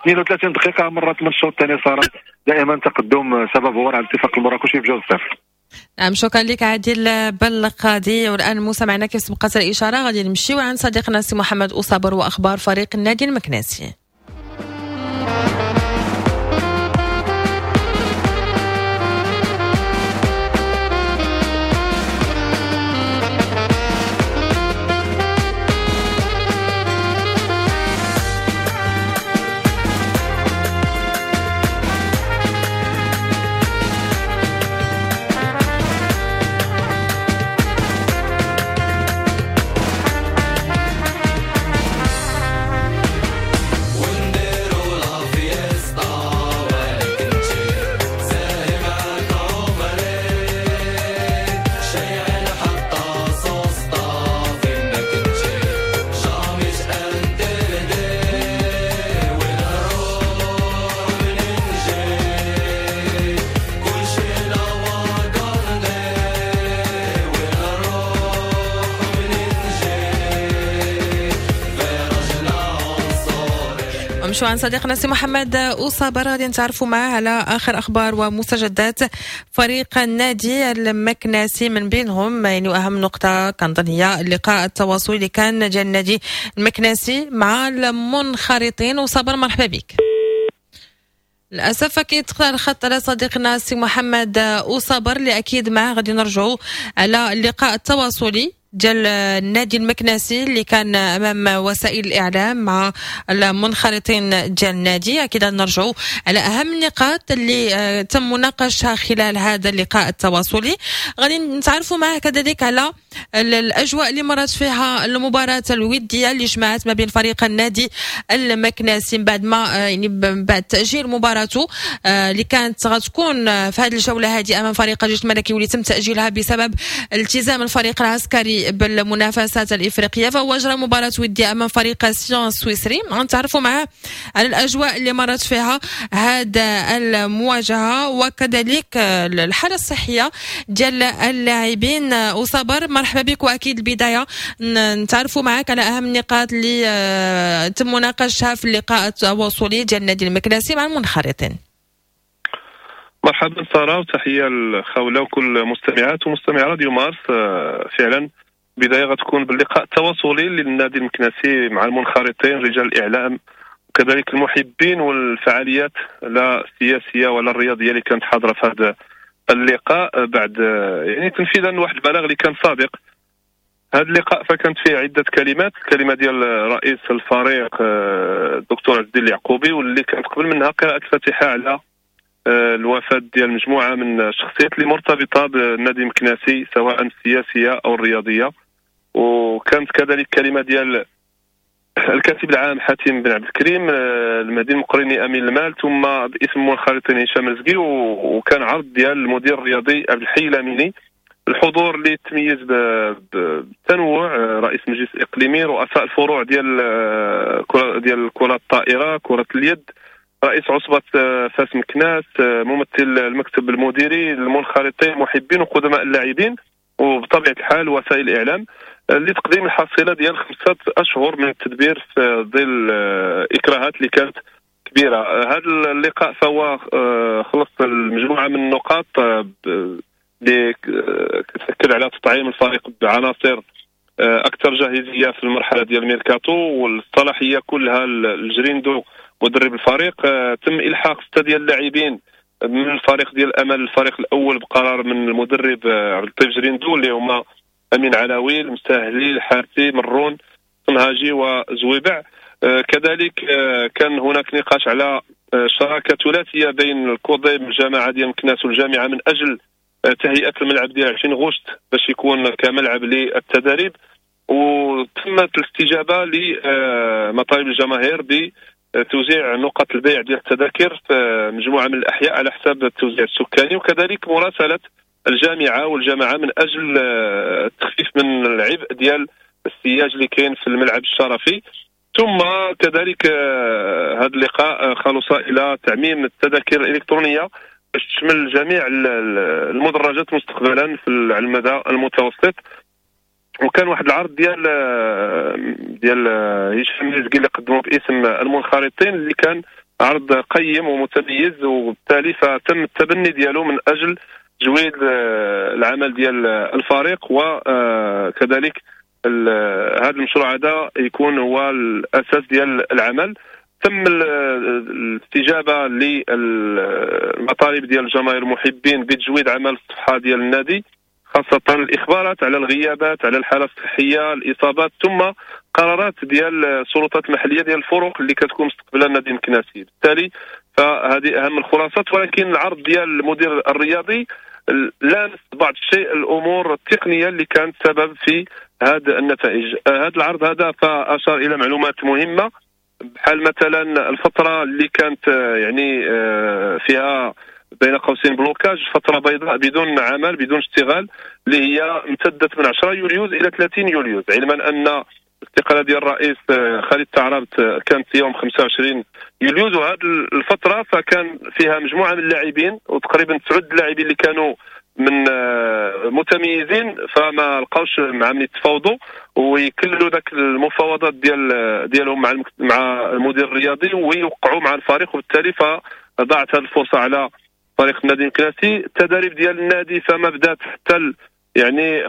32 دقيقة مرت من الشوط الثاني، صار دائما تقدم شباب هوارة على الاتفاق المراكشي ب2-0. نعم، شكرا لك عادل بالقاضي. والان موسى معنا كيف سبقت الاشارة غادي نمشيو عند صديقنا سي محمد أوصابر واخبار فريق النادي المكناسي. نمشيو عند صديقنا سي محمد أصابر، غادي نتعرفوا معاه على اخر اخبار ومستجدات فريق النادي المكناسي، من بينهم يعني اهم نقطة كنظن هي اللقاء التواصلي اللي كان ديال النادي المكناسي مع المنخرطين. وصابر مرحبا بك. للاسف كيتقطع الخط على صديقنا سي محمد أصابر اللي اكيد معاه غادي نرجعوا على اللقاء التواصلي ديال النادي المكناسي اللي كان امام وسائل الاعلام مع المنخرطين ديال النادي. اكيد نرجعوا على اهم النقاط اللي تم مناقشتها خلال هذا اللقاء التواصلي. غادي نتعرفوا معه كذلك على الاجواء اللي مرت فيها المباراة الودية اللي جمعت ما بين فريق النادي المكناسي بعد ما يعني بعد تاجيل مباراته اللي كانت غتكون في هذه الجولة هذه امام فريق الجيش الملكي واللي تم تاجيلها بسبب التزام الفريق العسكري بالمنافسات الافريقية، فهو اجرى مباراة وديه امام فريق سيون السويسري. غنتعرفوا معاه على الاجواء اللي مرت فيها هذا المواجهة وكذلك الحالة الصحية ديال اللاعبين. وصبر مرحبا بك، واكيد البداية نتعرفوا معك على اهم النقاط اللي تم مناقشتها في اللقاء التواصلي ديال النادي المكناسي مع المنخرطين. مرحبا ساره، وتحية لخوله وكل مستمعات ومستمعي راديو مارس. فعلا بداية غتكون باللقاء التواصلي للنادي المكناسي مع المنخرطين رجال الاعلام وكذلك المحبين والفعاليات لا السياسية ولا الرياضية اللي كانت حاضره في هذا اللقاء، بعد يعني تنفيذا لواحد البلاغ اللي كان سابق. هذا اللقاء فكانت فيه عده كلمات، الكلمة ديال رئيس الفريق الدكتور عز الدين اليعقوبي، واللي كانت قبل منها قراءة الفاتحة على الوفاة ديال مجموعة من الشخصيات اللي مرتبطة بالنادي المكناسي سواء السياسية او الرياضية. وكانت كذلك كلمة ديال الكاتب العام حاتم بن عبد الكريم، المهدي المقريني امين المال، ثم باسم المنخرطين هشام رزقي، وكان عرض ديال المدير الرياضي عبد الحي الاميني. الحضور اللي تميز بالتنوع، رئيس المجلس الاقليمي، رؤساء الفروع ديال كره الطائرة، كره اليد، رئيس عصبة فاس مكناس، ممثل المكتب المديري، المنخرطين، المحبين وقدماء اللاعبين، وبطبيعة الحال وسائل الإعلام، لتقديم الحصيلة ديال 5 أشهر من التدبير في ظل إكراهات اللي كانت كبيرة. هذا اللقاء فهو خلص المجموعة من النقاط اللي كتأكد على تطعيم الفريق بعناصر أكثر جاهزية في المرحلة ديال الميركاتو، والصلاحية كلها الجريندو مدرب الفريق. تم الحاق 6 ديال اللاعبين من الفريق ديال الامل الفريق الاول بقرار من المدرب عبد اللطيف جريندو، اللي هما امين علاوي، المساهلي، الحارثي، مرون، صنهاجي وزويبع. كذلك كان هناك نقاش على شراكة ثلاثية بين الكوضيم الجامعة ديال مكناس والجامعة من اجل تهيئة الملعب ديال 20 غشت باش يكون كملعب للتدريب، وتمت الاستجابة لمطالب الجماهير ب توزيع نقط البيع ديال التذاكر في مجموعة من الاحياء على حساب التوزيع السكاني، وكذلك مراسله الجامعة والجماعة من اجل التخفيف من العبء ديال السياج اللي كاين في الملعب الشرفي. ثم كذلك هذا اللقاء خلص الى تعميم التذاكر الالكترونية باش تشمل جميع المدرجات مستقبلا في على المدى المتوسط. وكان واحد العرض ديال هشام رزقي اللي قدمه باسم المنخرطين، اللي كان عرض قيم ومتميز، وبالتالي فتم التبني ديالو من اجل تجويد العمل ديال الفريق، وكذلك هذا المشروع هذا يكون هو الاساس ديال العمل. تم الاستجابة للمطالب ديال الجماهير المحبين بتجويد عمل الصفحة ديال النادي، خاصة الإخبارات على الغيابات، على الحالة الصحية، الإصابات، ثم قرارات ديال السلطات المحلية ديال الفرق اللي كتكون مستقبلة النادي المكناسي. بالتالي فهذه أهم الخلاصات. ولكن العرض ديال المدير الرياضي لامس بعض الشيء الأمور التقنية اللي كانت سبب في هذه النتائج. هذا العرض هذا فأشار إلى معلومات مهمة، بحال مثلا الفترة اللي كانت يعني فيها بين قوسين blocage، فترة بيضاء بدون عمل بدون اشتغال، اللي هي امتدت من 10 يوليوز الى 30 يوليوز، علما ان الاستقالة ديال الرئيس خالد تعرابت كانت يوم 25 يوليوز. وهذه الفترة فكان فيها مجموعة من اللاعبين، وتقريبا 9 لاعبين اللي كانوا من متميزين، فما لقاوش مع من يتفاوضوا ويكللوا ذاك المفاوضات ديالهم مع المدير الرياضي ويوقعوا مع الفريق، وبالتالي فضاعت هذه الفرصة على فريق النادي المكناسي. التدريب ديال النادي فما بدات حتى يعني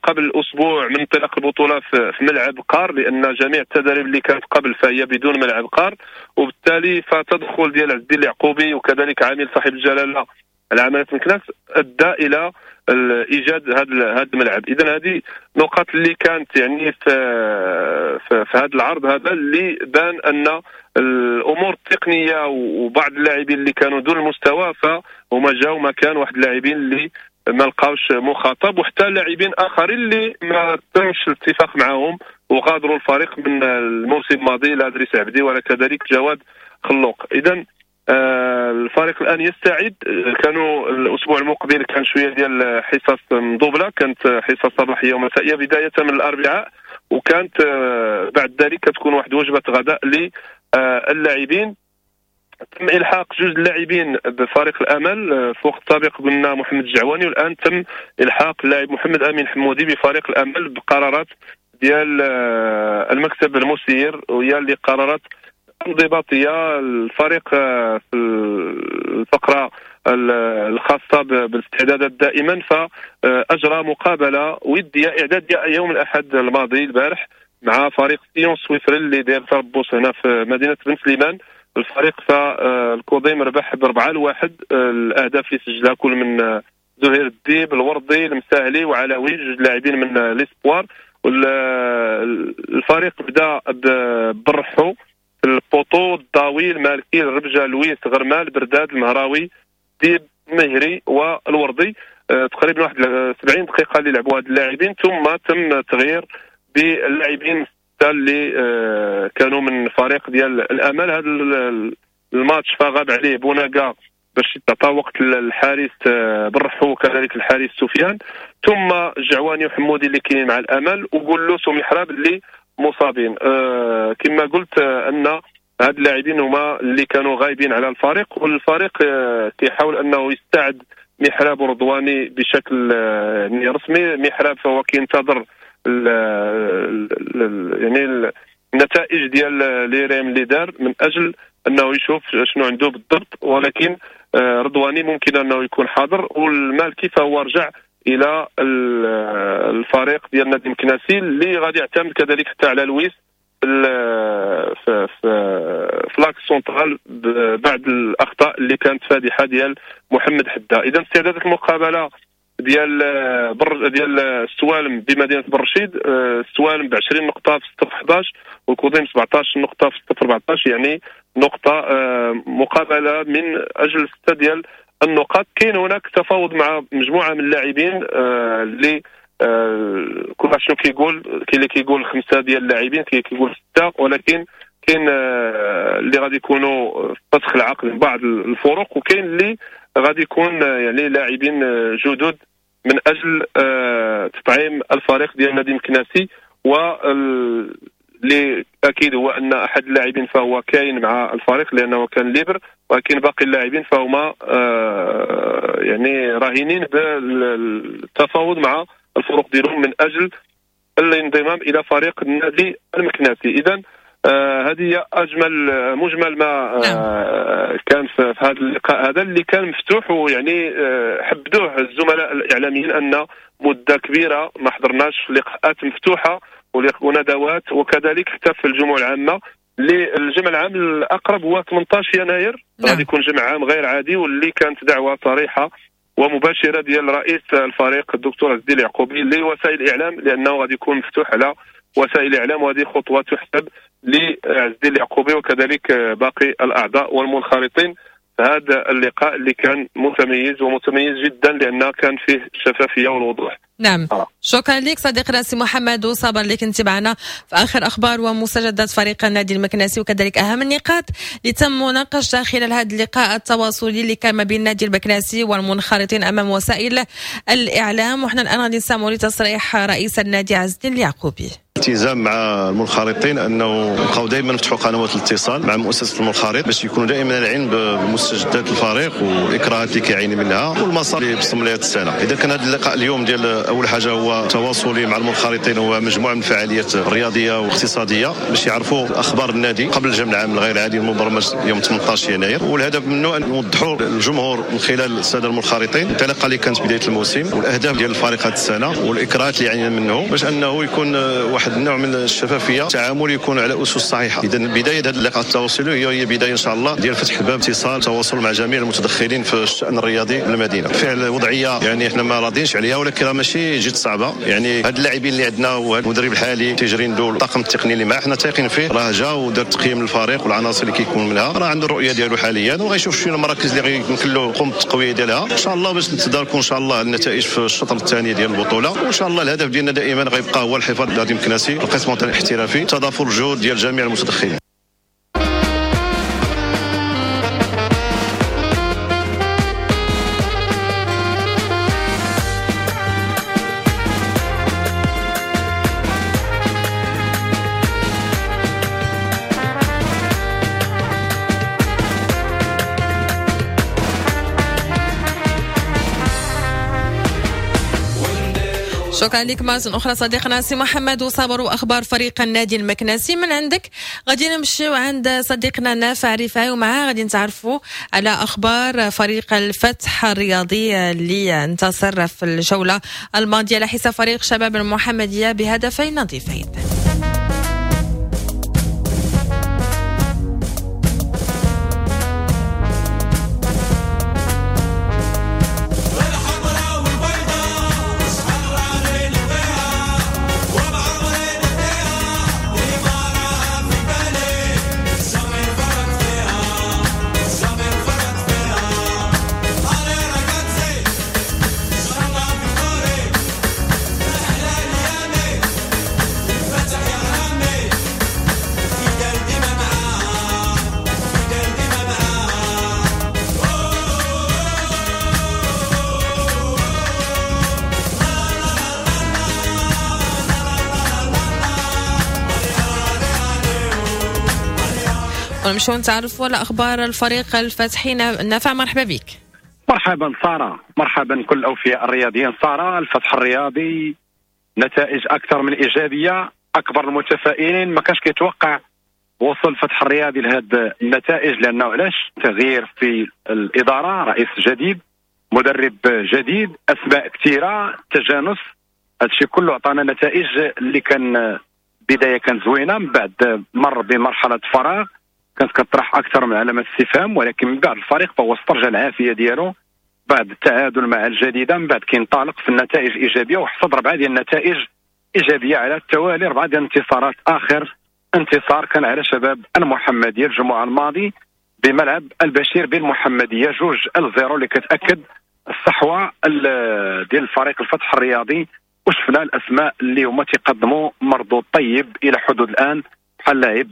قبل اسبوع من انطلاق البطولة في ملعب قار، لان جميع التداريب اللي كانت قبل فهي بدون ملعب قار، وبالتالي فتدخل ديال عز الدين اليعقوبي وكذلك عامل صاحب الجلاله العمالة مكناس ادى الى ايجاد هذا الملعب. اذا هذه نقاط اللي كانت يعني في هذا العرض هذا اللي بان ان الامور التقنية وبعض اللاعبين اللي كانوا دون المستوى فهما جاوا مكان واحد اللاعبين اللي ما لقاوش مخاطب، وحتى لاعبين اخرين اللي ما تمش الاتفاق معهم وغادروا الفريق من الموسم الماضي، لا ادريس عبدي ولا كذلك جواد خلوق. اذا الفريق الان يستعد. كانوا الاسبوع المقبل كان شوية ديال حصص مضوبله، كانت حصص صباحية ومسائيه بداية من الاربعاء، وكانت بعد ذلك كتكون واحد وجبة غداء للاعبين. تم الحاق جوج اللاعبين بفريق الامل في وقت سابق، قلنا محمد الجعواني، والان تم الحاق اللاعب محمد امين حمودي بفريق الامل بقرارات ديال المكتب المسير، وهي اللي قرارات انضباطية. الفريق في الفقرة الخاصة بالاستعدادات دائما فاجرى مقابله وديه اعدادية يوم الاحد الماضي البارح مع فريق سيون سويسري اللي داير تربص هنا في مدينة بن سليمان. الفريق فالكوضيم ربح ب4-1، الاهداف اللي سجلها كل من زهير الديب، الوردي، المساهلي وعلاوي، جوج لاعبين من les espoirs. الفريق بدا برحو ال poteau، الضاوي، المالكي، الربجه، لويس، غرمال، برداد، المهراوي، ديب، مهري والوردي. تقريبا واحد 70 دقيقة اللي لعبوا هاد اللاعبين، ثم تم تغيير باللاعبين اللي كانوا من فريق ديال الامل. هذا الماتش فغاب عليه بوناكا باش تعطى وقت الحارس برحو وكذلك الحارس سفيان، ثم الجعواني وحمودي اللي كاينين مع الامل، وقلوس ومحراب اللي مصابين. كما قلت ان هاد اللاعبين هما اللي كانوا غايبين على الفريق، والفريق كيحاول انه يستعد محراب ورضواني بشكل يعني رسمي. محراب فهو كينتظر يعني النتائج ديال l'IRM اللي دار من اجل انه يشوف شنو عنده بالضبط، ولكن رضواني ممكن انه يكون حاضر. والمالكي فهو رجع الى الفريق ديال النادي المكناسي اللي غادي يعتمد كذلك حتى على لويس في l'axe central بعد الاخطاء اللي كانت فادحة ديال محمد حده. اذا استعدادات المقابلة ديال السوالم بمدينة برشيد، السوالم ب 20 نقطة في 6 11، والكوضيم 17 نقطة في 6 14، يعني نقطة مقابله من اجل 6 ديال النقاط. كاين هناك تفاوض مع مجموعة من اللاعبين اللي كل واحد شنو كيقول، كاين اللي كيقول 5 ديال اللاعبين، كاين اللي كيقول 6، ولكن كاين اللي غادي يكونوا فسخ العقد من بعض الفرق، وكاين اللي غادي يكون يعني لاعبين جدد من اجل تطعيم الفريق ديال النادي المكناسي. واللي اكيد هو ان احد اللاعبين فهو كاين مع الفريق لانه كان libre، ولكن باقي اللاعبين فهما يعني راهنين بالتفاوض مع الفرق ديالهم من اجل الانضمام الى فريق النادي المكناسي. اذا هذه هي اجمل مجمل ما كان في هذا اللقاء هذا اللي كان مفتوح، ويعني حبدوه الزملاء الاعلاميين ان مده كبيرة ما حضرناش في لقاءات مفتوحة وندوات، وكذلك حتى في الجموع العامة. الجمع العام الاقرب هو 18 يناير، غادي يكون جمع عام غير عادي، واللي كانت دعوه صريحه ومباشرة ديال رئيس الفريق الدكتور عز الدين اليعقوبي لوسائل الاعلام، لانه غادي يكون مفتوح على وسائل الاعلام، وهذه خطوة تحسب لعز الدين اليعقوبي وكذلك باقي الاعضاء والمنخرطين في هذا اللقاء اللي كان متميز ومتميز جدا لأنه كان فيه الشفافية والوضوح. نعم، شكرا لك صديقنا سي محمد وصابر اللي كنت معنا في اخر اخبار ومستجدات فريق النادي المكناسي، وكذلك اهم النقاط اللي تم مناقشتها خلال هذا اللقاء التواصلي اللي كان ما بين النادي المكناسي والمنخرطين امام وسائل الاعلام. وحنا الان غادي نسمعوا لتصريح رئيس النادي عز الدين اليعقوبي. التزام مع المنخرطين انه نبقاو دائما نفتحوا قنوات الاتصال مع مؤسسة المنخرط باش يكونوا دائما العلم بمستجدات الفريق والاكراهات اللي كيعاني منها والمسار اللي بصم لها السنة. اذا كان هذا اللقاء اليوم ديال اول حاجة هو تواصلي مع المنخرطين ومجموعة من الفعاليات الرياضية والاقتصادية باش يعرفوا اخبار النادي قبل الجمع العام الغير عادي المبرمج يوم 18 يناير، والهدف منه ان نوضحوا للجمهور من خلال السادة المنخرطين الانطلاقة اللي كانت بداية الموسم والاهداف ديال الفريق هذه السنة والاكراهات اللي عانينا منه باش انه يكون واحد النوع من الشفافية، التعامل يكون على اسس صحيحه. اذا بداية هذا اللقاء التواصلي هي بداية ان شاء الله ديال فتح باب اتصال تواصل مع جميع المتدخلين في الشان الرياضي بالمدينة. فعل وضعية يعني احنا ما راضينش عليها، ولكن ماشي جد صعبة. يعني هاد اللاعبين اللي عندنا وهذا المدرب الحالي تيجري ندو الطاقم التقني اللي معاه حنا تايقين فيه، راه جا ودار تقييم للفريق والعناصر اللي كيكون منها، راه عنده الرؤية ديالو حاليا وغيشوف شنو المراكز اللي غيمكن له يقوم بالتقويه ديالها ان شاء الله باش نتداركوا ان شاء الله النتائج في الشطر الثاني ديال البطولة. وان شاء الله الهدف ديالنا دائما غيبقى هو الحفاظ على النادي المكناسي، القسم الاحترافي، تضافر الجهود ديال جميع المتدخلين. شكرا لك مرة أخرى صديقنا سي محمد وصابر وأخبار فريق النادي المكناسي. من عندك غادي نمشيو عند صديقنا نافع رفاعي ومعاه غادي نتعرفوا على أخبار فريق الفتح الرياضي اللي انتصر في الجولة الماضية على حساب فريق شباب المحمدية بهدفين نظيفين. ونمشيو نتعرفوا على اخبار الفريق الفتحي. نافع مرحبا بك. مرحبا ساره، مرحبا كل اوفياء الرياضيين. ساره، الفتح الرياضي نتائج اكثر من ايجابية، اكبر المتفائلين، ما كانش كيتوقع وصل الفتح الرياضي لهذه النتائج، لانه علاش؟ تغيير في الادارة، رئيس جديد، مدرب جديد، اسماء كثيرة، تجانس، هادشي كله عطانا نتائج اللي كان بداية كانت زوينة، من بعد مر بمرحلة فراغ كانت كطرح اكثر من علامات استفهام، ولكن من بعد الفريق فهو استرجع العافية ديالو بعد التعادل مع الجديدة، من بعد كينطلق في النتائج الايجابية وحصد 4 ديال النتائج ايجابية على التوالي، 4 ديال الانتصارات. اخر انتصار كان على شباب المحمدية الجمعة الماضي بملعب البشير بالمحمديه 2-0 اللي كتاكد الصحوة ديال الفريق الفتح الرياضي. وشفنا الاسماء اللي هما تيقدموا مردود طيب الى حدود الان، بحال لاعب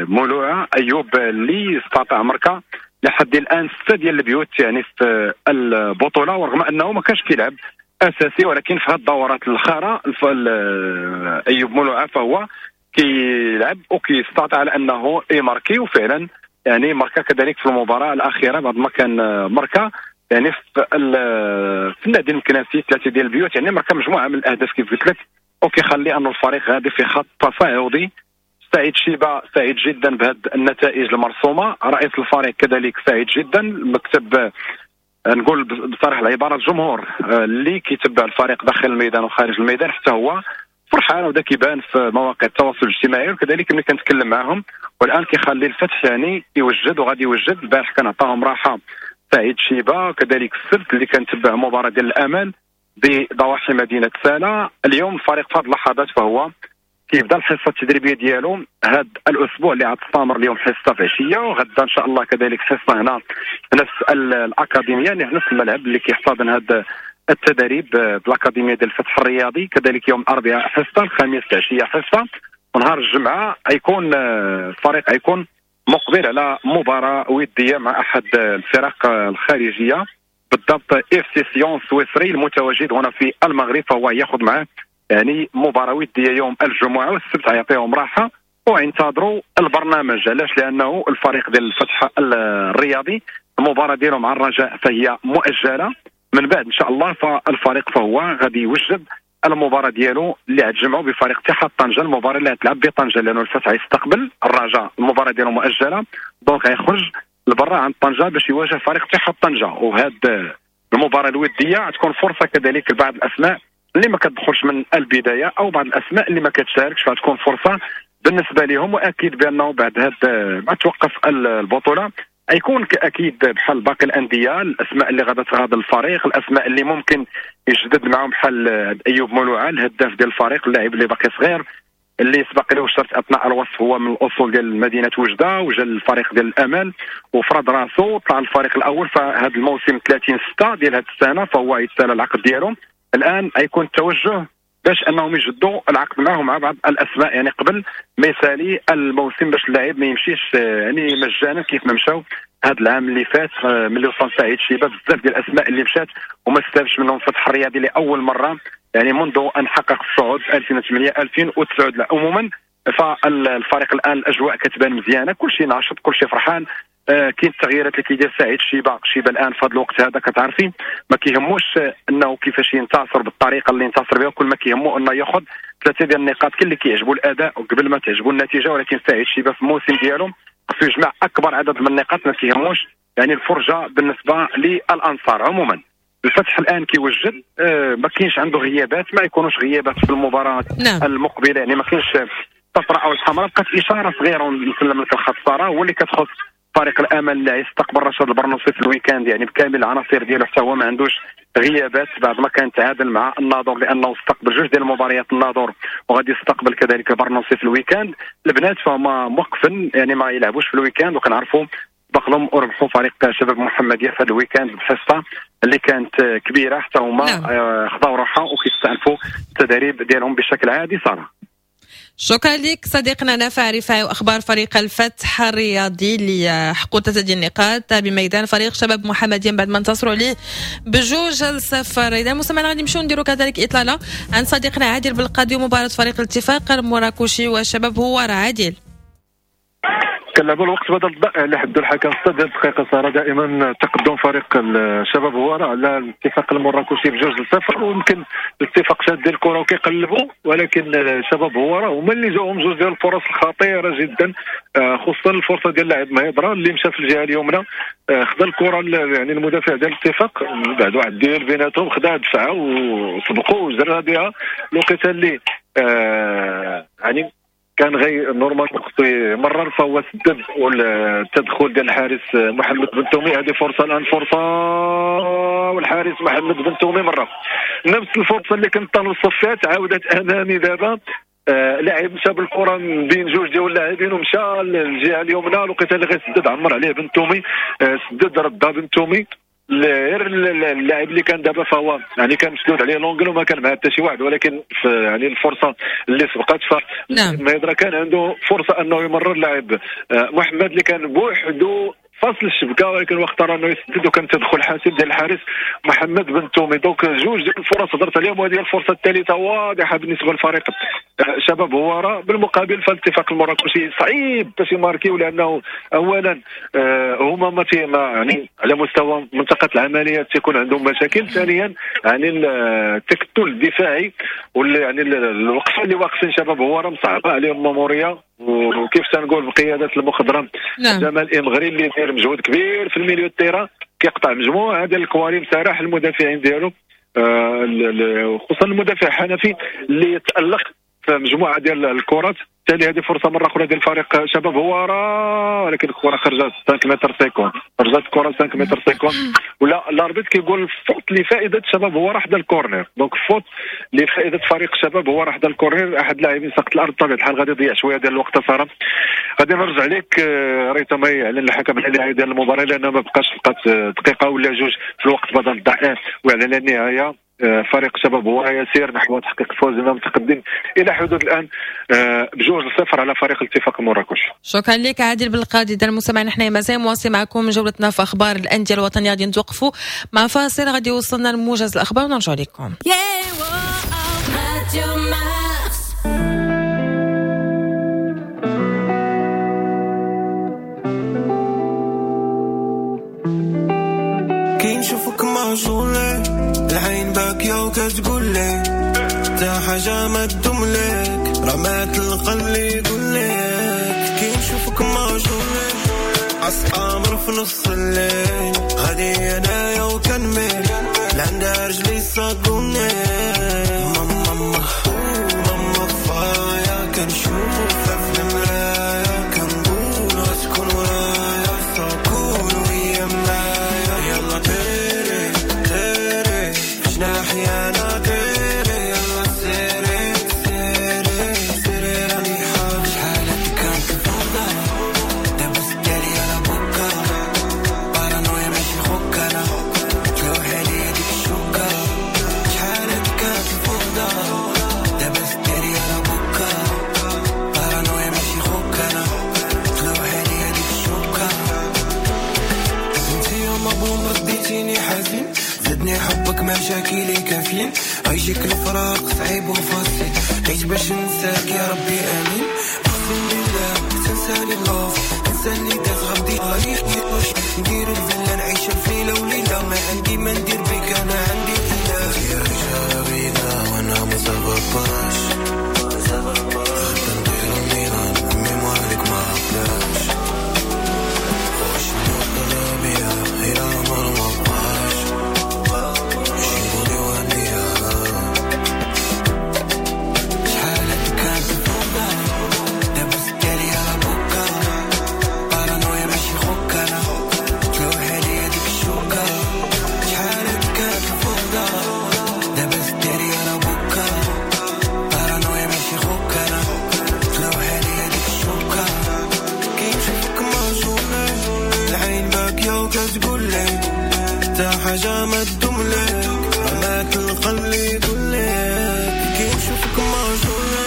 مولوعه ايوب اللي استطاع مركه لحد الان 6 ديال البيوت يعني في البطولة، ورغم انه ما كانش كيلعب اساسي، ولكن في هذه الدورات الاخيرة ايوب مولوعه فهو كيلعب وكيستطيع على انه يماركي، وفعلا يعني ماركا كذلك في المباراة الاخيرة بعد ما كان ماركا يعني في النادي المكناسي 3 ديال البيوت، يعني ماركا مجموعة من الاهداف كيف قلت لك، وكيخلي ان الفريق غادي في خط تصاعدي. سعيد شيبة سعيد جدا بهذه النتائج المرسومه، رئيس الفريق كذلك سعيد جدا، المكتب نقول بصراحة العبارة الجمهور اللي كيتبع الفريق داخل الميدان وخارج الميدان حتى هو فرحان، ودا كيبان في مواقع التواصل الاجتماعي، وكذلك ملي كنتكلم معهم. والان كيخلي الفتح يعني يوجد وغادي يوجد. البارح كان عطاهم راحة سعيد شيبة، كذلك السبت اللي كنتبع مباراة ديال الامل بضواحي مدينة سالا. اليوم الفريق في هذه اللحظات فهو كيبدا الحصة التدريبية ديالو هذا الاسبوع اللي غتستمر اليوم حصة في عشية، وغدا ان شاء الله كذلك حصة هنا في نفس الاكاديمية، يعني في نفس الملعب اللي كيحتضن هذا التدريب بالاكاديميه ديال الفتح الرياضي. كذلك يوم الاربعاء حصة، الخميس العشية حصة، ونهار الجمعة غيكون الفريق غيكون مقبل على مباراة وديه مع احد الفرق الخارجية، بالضبط FC سيون السويسري المتواجد هنا في المغرب، فهو ياخذ معه يعني مباراة وديه يوم الجمعة والسبت غيعطيهم راحة وينتظروا البرنامج. علاش؟ لانه الفريق ديال الفتح الرياضي المباراة ديالو مع الرجاء فهي مؤجلة، من بعد ان شاء الله فالفريق فهو غادي يوجد المباراة ديالو اللي غتجمعوا بفريق اتحاد طنجه، المباراة اللي غتلعب بطنجه، لانه الفتح يستقبل الرجاء المباراة ديالو مؤجلة، donc غيخرج لبرا عند طنجه باش يواجه فريق اتحاد طنجه. وهاد المباراة الودية غتكون فرصة كذلك لبعض الاسماء اللي ما كتدخلش من البداية او بعض الاسماء اللي ما كتشاركش، فغتكون فرصة بالنسبة لهم. واكيد بانه بعد هاد ما توقف البطولة يكون اكيد بحال باقي الاندية الاسماء اللي غادا تغادر الفريق، الاسماء اللي ممكن يجدد معهم بحال ايوب مولوعه الهداف ديال الفريق، اللاعب اللي باقي صغير اللي سبق له شرط اثناء الوصف هو من الاصول ديال مدينة وجده وجا الفريق ديال الامل وفرض راسو طلع الفريق الاول. فهذا الموسم 30/6 ديال هذه السنة فهو يتسالى العقد ديالو، الان غيكون التوجه باش انهم يجدوا العقد معهم مع بعض الاسماء، يعني قبل ما يسالي الموسم باش اللاعب ما يمشيش يعني مجانا كيف ما مشاو هذا العام اللي فات ملي وصل سعيد شيبة. بزاف ديال الاسماء اللي مشات وما استافدش منهم الفتح الرياضي لاول مرة يعني منذ ان حقق الصعود في 2008 2009. لا عموما فالفريق الان الاجواء كتبان مزيانه، كل شيء ناشط، كل شيء فرحان، كاين التغييرات اللي كيدير سعيد شيبة. شيبة الان في هذا الوقت هذا كتعرفي ما كيهموش انه كيفاش ينتصر بالطريقة اللي انتصر بها، كل ما كيهمو انه ياخذ 3 ديال النقاط، كاين اللي كيعجبو الاداء وقبل ما تعجبو النتيجة، ولكن سعيد شيبة في الموسم ديالو خصو يجمع اكبر عدد من النقاط، ما كيهموش يعني الفرجة بالنسبة للانصار. عموما الفتح الان كيوجد، ما كاينش عنده غيابات، ما يكونوش غيابات في المباراة المقبلة، يعني ما كاينش الصفراء او الحمراء، بقات اشارة صغيرة ونسلم لك الخط ساره هو اللي كتخص فريق الامل اللي يستقبل رشاد البرنوصي في ال week-end، يعني بكامل العناصر ديالو حتى هو ما عندوش غيابات بعد ما كان تعادل مع الناظور لانه استقبل جوج ديال المباريات الناظور وغادي يستقبل كذلك البرنوصي في ال week-end. البنات فهما موقفين يعني ما يلعبوش في ال week-end، وكنعرفوا بقلهم وربحوا فريق شباب محمديه في هذا ال week-end بحصة اللي كانت كبيرة، حتى هما خداو روحها وكيستأنفوا التدريب ديالهم بشكل عادي. ساره شكرا لك صديقنا نافع رفاعي واخبار فريق الفتح الرياضي اللي حققوا 3 ديال النقاط بميدان فريق شباب محمدية بعد ما انتصروا عليه ب2-0. اذا مستمعينا غادي نمشيو نديروا كذلك اطلالة عن صديقنا عادل بالقاضي ومباراة فريق الاتفاق المراكشي والشباب هو عادل. كنلعبوا الوقت بدل الضائع اللي حدوا الحكم 6 ديال الدقائق صار دائما تقدم فريق الشباب هوارة على الاتفاق المراكشي ب2-0، ويمكن الاتفاق شاد ديال الكره وكيقلبوا، ولكن الشباب هوارة هما اللي جاوهم جوج ديال الفرص الخطيرة جدا، خصوصا الفرصة ديال اللاعب مهيدرة اللي مشى في الجهة اليمنى، خدا الكره يعني المدافع ديال الاتفاق بعد واحد ديال بيناتهم خدا دفعه وسبقوا وجرى بها الوقيته اللي يعني كان غير normal خصو يمرر، فهو سدد والتدخل ديال الحارس محمد بن تومي. هذه فرصة الان، فرصة والحارس محمد بن تومي مرة نفس الفرصة اللي كنت تنوصف فيها تعاودت امامي دابا. لاعب مشى بالكرة من بين جوج ديال اللاعبين ومشى للجهة اليمنى، الوقيته اللي غيسدد عمر عليه بن تومي، سدد ردها بن تومي. غير اللاعب اللي كان دابا فهو يعني كان مسدود عليه l'angle وما كان معاه حتى شي واحد، ولكن في يعني الفرصة اللي سبقت ف مهيدرة كان عنده فرصة انه يمرر اللاعب محمد اللي كان بوحده فاصل الشبكة، ولكن هو اختار انه يسدد وكان تدخل حاسم ديال الحارس محمد بن تومي. donc جوج ديال الفرص هضرت عليهم، وهذه الفرصة الثالثة واضحة بالنسبة للفريق شباب هوارة. بالمقابل فالاتفاق المراكشي صعيب باش يماركيو، لانه اولا هما ما يعني على مستوى منطقة العمليات تيكون عندهم مشاكل، ثانيا يعني التكتل الدفاعي واللي يعني الوقفة اللي واقفين شباب هوارة مصعبه عليهم ماموريه، وكيف تنقول بقيادة المخضرم جمال امغري اللي داير مجهود كبير في ال milieu terrain، كيقطع مجموعة ديال الكواري مسارح المدافعين ديالو، خصوصا المدافع حنفي اللي تالق في مجموعة ديال الكرات. بالتالي هذه فرصة مرة اخرى ديال فريق شباب هوارة، ولكن الكره خرجت 5 متر 50، خرجت الكره 5 متر 50، ولا l'arbitre كيقول faute لفائدة شباب هوارة حدا ال corner، donc faute لفائدة فريق شباب هوارة حدا ال corner. احد اللاعبين سقط الارض بطبيعة الحال غادي يضيع شوية ديال الوقت. صراحة غادي نرجع لك ريتما يعلن الحكم على النهاية ديال المباراة، لان ما بقاش بقات دقيقة ولا جوج في الوقت بدل الضائع، ويعلن النهاية. فريق شباب هو يسير نحو تحقيق الفوز المتقدم الى حدود الان ب2-0 على فريق الاتفاق المراكشي. شكرا لك عادل بالقاضي. اذا المستمعين نحن مازال مواصلين معكم جولتنا في اخبار الاندية الوطنية، غادي نتوقفوا مع فاصل غادي يوصلنا لموجز الاخبار ونرجع لكم. Radio Mars. كي نشوفك معجولة العين باكية وكتقول لي تا حاجة ما تدوم لك رمات القلب اللي يقول لك. كي نشوفك معجولة عالقمر في نص الليل غادي انايا وكنميل لعندها رجلي صاقوني. ماما ماما فايا كنشوفها في المراية كنقول غتكون ورايا صاقون وهي معايا. يلا طيري طيري في جناحي انا طيري يلا سيري سيري سيري راني حاب. شحال كانت الفوضى دابا سدالي على بكا بارانويا ماشي خوك انا تلوح عليا ديك الشوكة. شحال كانت الفوضى دابا سدالي على بكا بارانويا ماشي خوك انا تلوح عليا ديك الشوكة. انت يا مبوم رديتيني حزين زدني حبك مشاكلي كافيين عيشك الفراق صعيب وفاصل عيش باش ننساك يا ربي امين. اقسم بالله تنساني اللوف انساني داز غدي غريب ندير الفيلا نعيش في ليلة وليلة ما عندي ما ندير بك انا عندي اله. يا جابينا وانا ما زغباش غدا ندير النيران ميموارك ما عقلاش واش نوض بيا الى عمر ما بقاش جيبوني وهنيا. شحال كانت الفوضى دابا سدالي على بكا بارانويا ماشي خوك انا تلوح عليا ديك الشوكة. شحال كانت الفوضى دابا سدالي على بكا بارانويا ماشي خوك انا تلوح عليا ديك الشوكة. كي نشوفك معجونة العين باكية وكتقول لي تا حاجة ما تدوم لك رمات القلب اللي يقول لك. كي نشوفك معجونة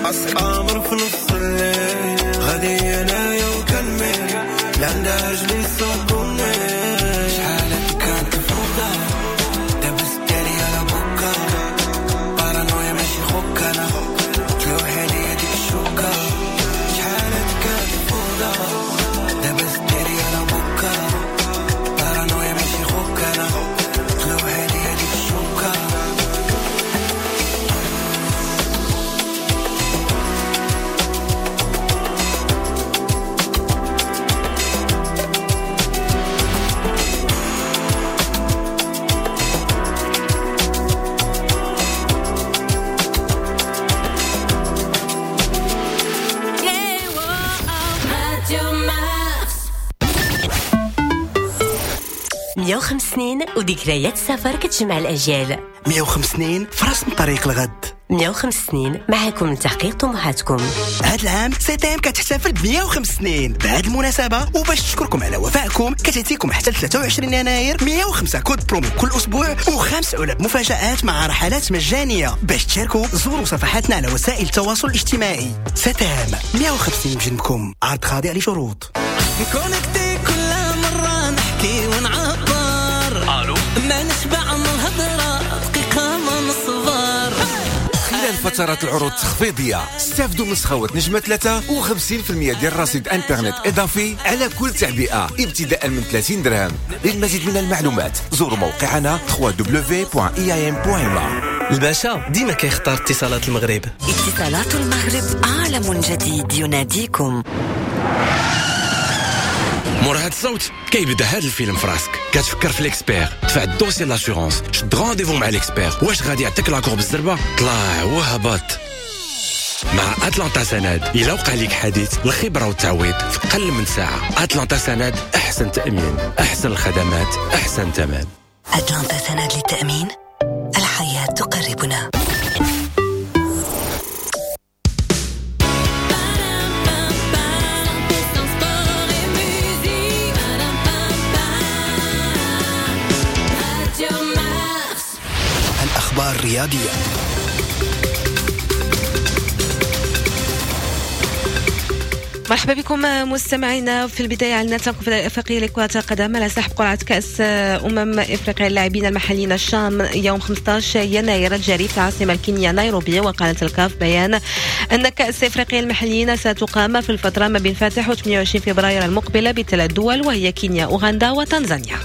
عالقمر في نص الليل غادي انايا وكنميل لعندها رجلي صاقوني. شحال كانت الفوضى دابا سدالي على بكا بارانويا ماشي خوك انا تلوح عليا ديك الشوكة. شحال كانت الفوضى دابا سدالي على بكا بارانويا ماشي خوك انا تلوح عليا ديك الشوكة. Radio Mars. 105 سنين وذكريات السفر كتجمع الأجيال. 105 سنين في رسم طريق الغد. 105 سنين معكم لتحقيق طموحاتكم. هذا العام CTM كتحتفل ب 105 سنين. بهذه المناسبة وباش تشكركم على وفائكم كتعطيكم حتى 23 يناير 105 code promo كل أسبوع وخمس علب مفاجآت مع رحلات مجانية. باش تشاركوا زوروا صفحاتنا على وسائل التواصل الاجتماعي. CTM 105 بجنبكم، عرض خاضع لشروط. connecté كل مرة نحكي ونعبر الو ما نشبع من الهضرة دقيقة ما نصبر. خلال فترات العروض التخفيضية استافدوا من سخاوة نجمة 3 و50% ديال رصيد انترنت إضافي على كل تعبئة ابتداء من 30 درهم. للمزيد من المعلومات زوروا موقعنا www.eim.ma. الباشا ديما كيختار اتصالات المغرب. اتصالات المغرب عالم جديد يناديكم. مور هاد الصوت كيبدا هاد الفيلم في راسك، كتفكر في l'expert، دفع ال dossier l'assurance، شد rendez-vous مع l'expert، واش غادي يعطيك l'accord بالزربه؟ طلع وهبط. مع اتلانتا سند الا وقع لك حادث الخبرة والتعويض في اقل من ساعة. اتلانتا سند، احسن تامين، احسن الخدمات، احسن ثمن. أتلانتا سند للتأمين، الحياة تقربنا. Sport et musique. Radio Mars. الأخبار الرياضية. مرحبا بكم مستمعينا. في البداية عندنا الكونفدرالية الافريقية لكرة القدم على سحب قرعه كاس افريقيا للاعبين المحليين الشام يوم 15 يناير الجاري في العاصمة الكينيه نيروبي. وقالت الكاف بيان ان كاس افريقيا المحليين ستقام في الفترة ما بين فاتح و 28 فبراير المقبلة بثلاث دول، وهي كينيا، اوغندا وتنزانيا.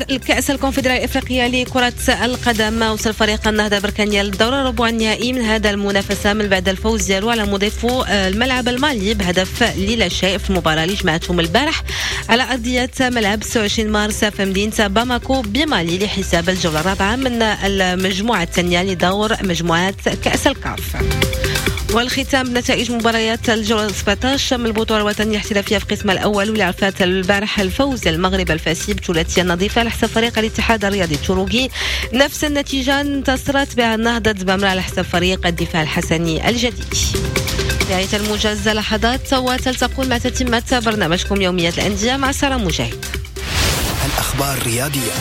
الكأس الكونفدرالية الإفريقية لكرة القدم، وصل فريق النهضة بركانية للدور الربع النهائي من هذا المنافسة من بعد الفوز ديالو على مضيفو الملعب المالي بهدف للا شيء في المباراة اللي جمعتهم البارح على أرضية ملعب 26 مارس في مدينة باماكو بمالي لحساب الجولة الرابعة من المجموعة الثانية لدور مجموعات كأس الكاف. والختام بنتائج مباريات الجولة 17 من البطولة الوطنية الاحترافية في القسم الأول، واللي عرفت البارح الفوز المغرب الفاسي بثلاثية نظيفة على حساب فريق الاتحاد الرياضي التروقي. نفس النتيجة انتصرت بها النهضة زبامرة على حساب فريق الدفاع الحسني الجديد. نهاية الموجز لحظات وتلتقون مع تتمة برنامجكم يوميات الأندية مع سارة مجاهد. الأخبار الرياضية.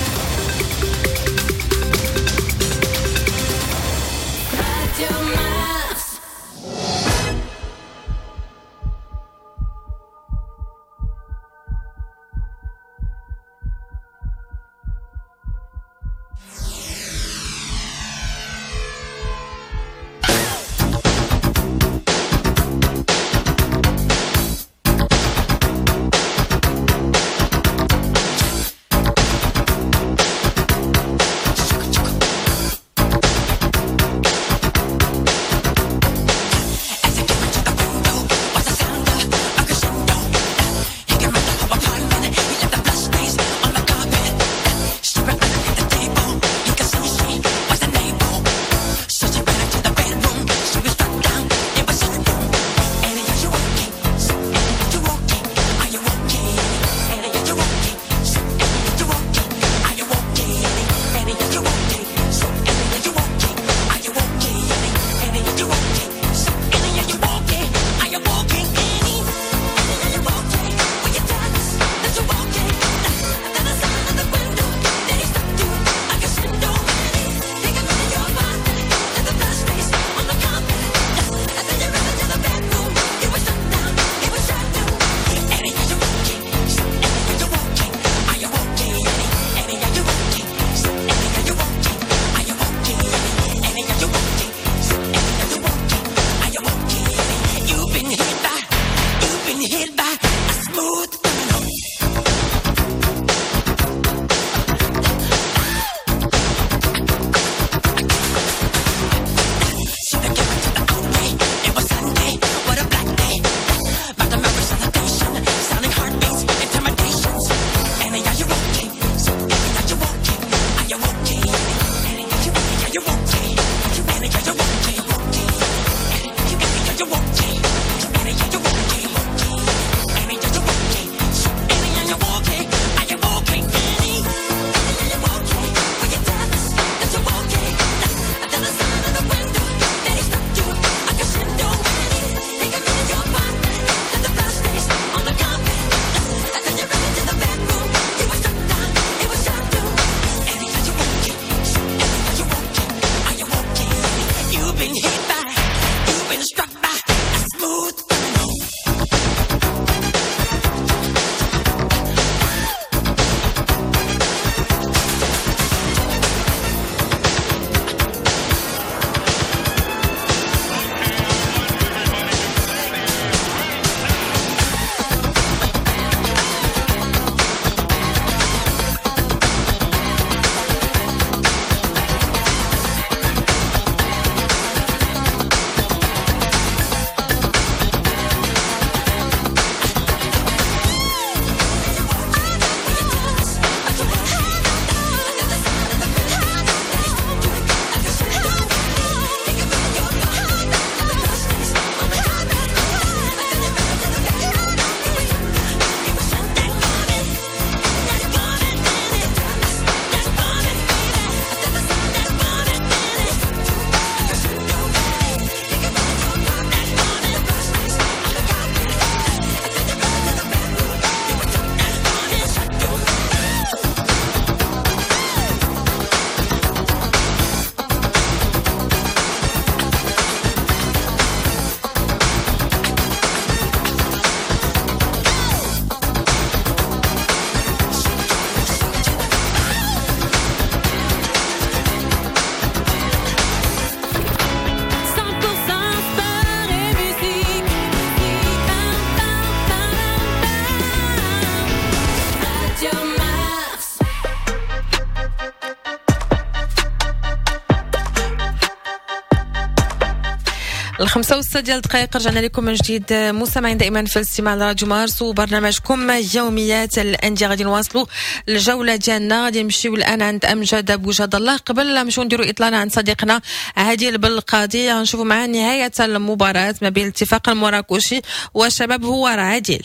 5:06 رجعنا لكم من جديد مستمعين دائما في الاستماع لراديو مارس وبرنامجكم يوميات الاندية. غادي نواصلوا الجولة ديالنا، غادي نمشيو الان عند امجد ابو جاد الله. قبل لا نمشيو نديروا اطلالة عند صديقنا عادل بالقاضي، غنشوفوا معاه نهاية المباراة ما بين الاتفاق المراكشي والشباب هوارة. عادل،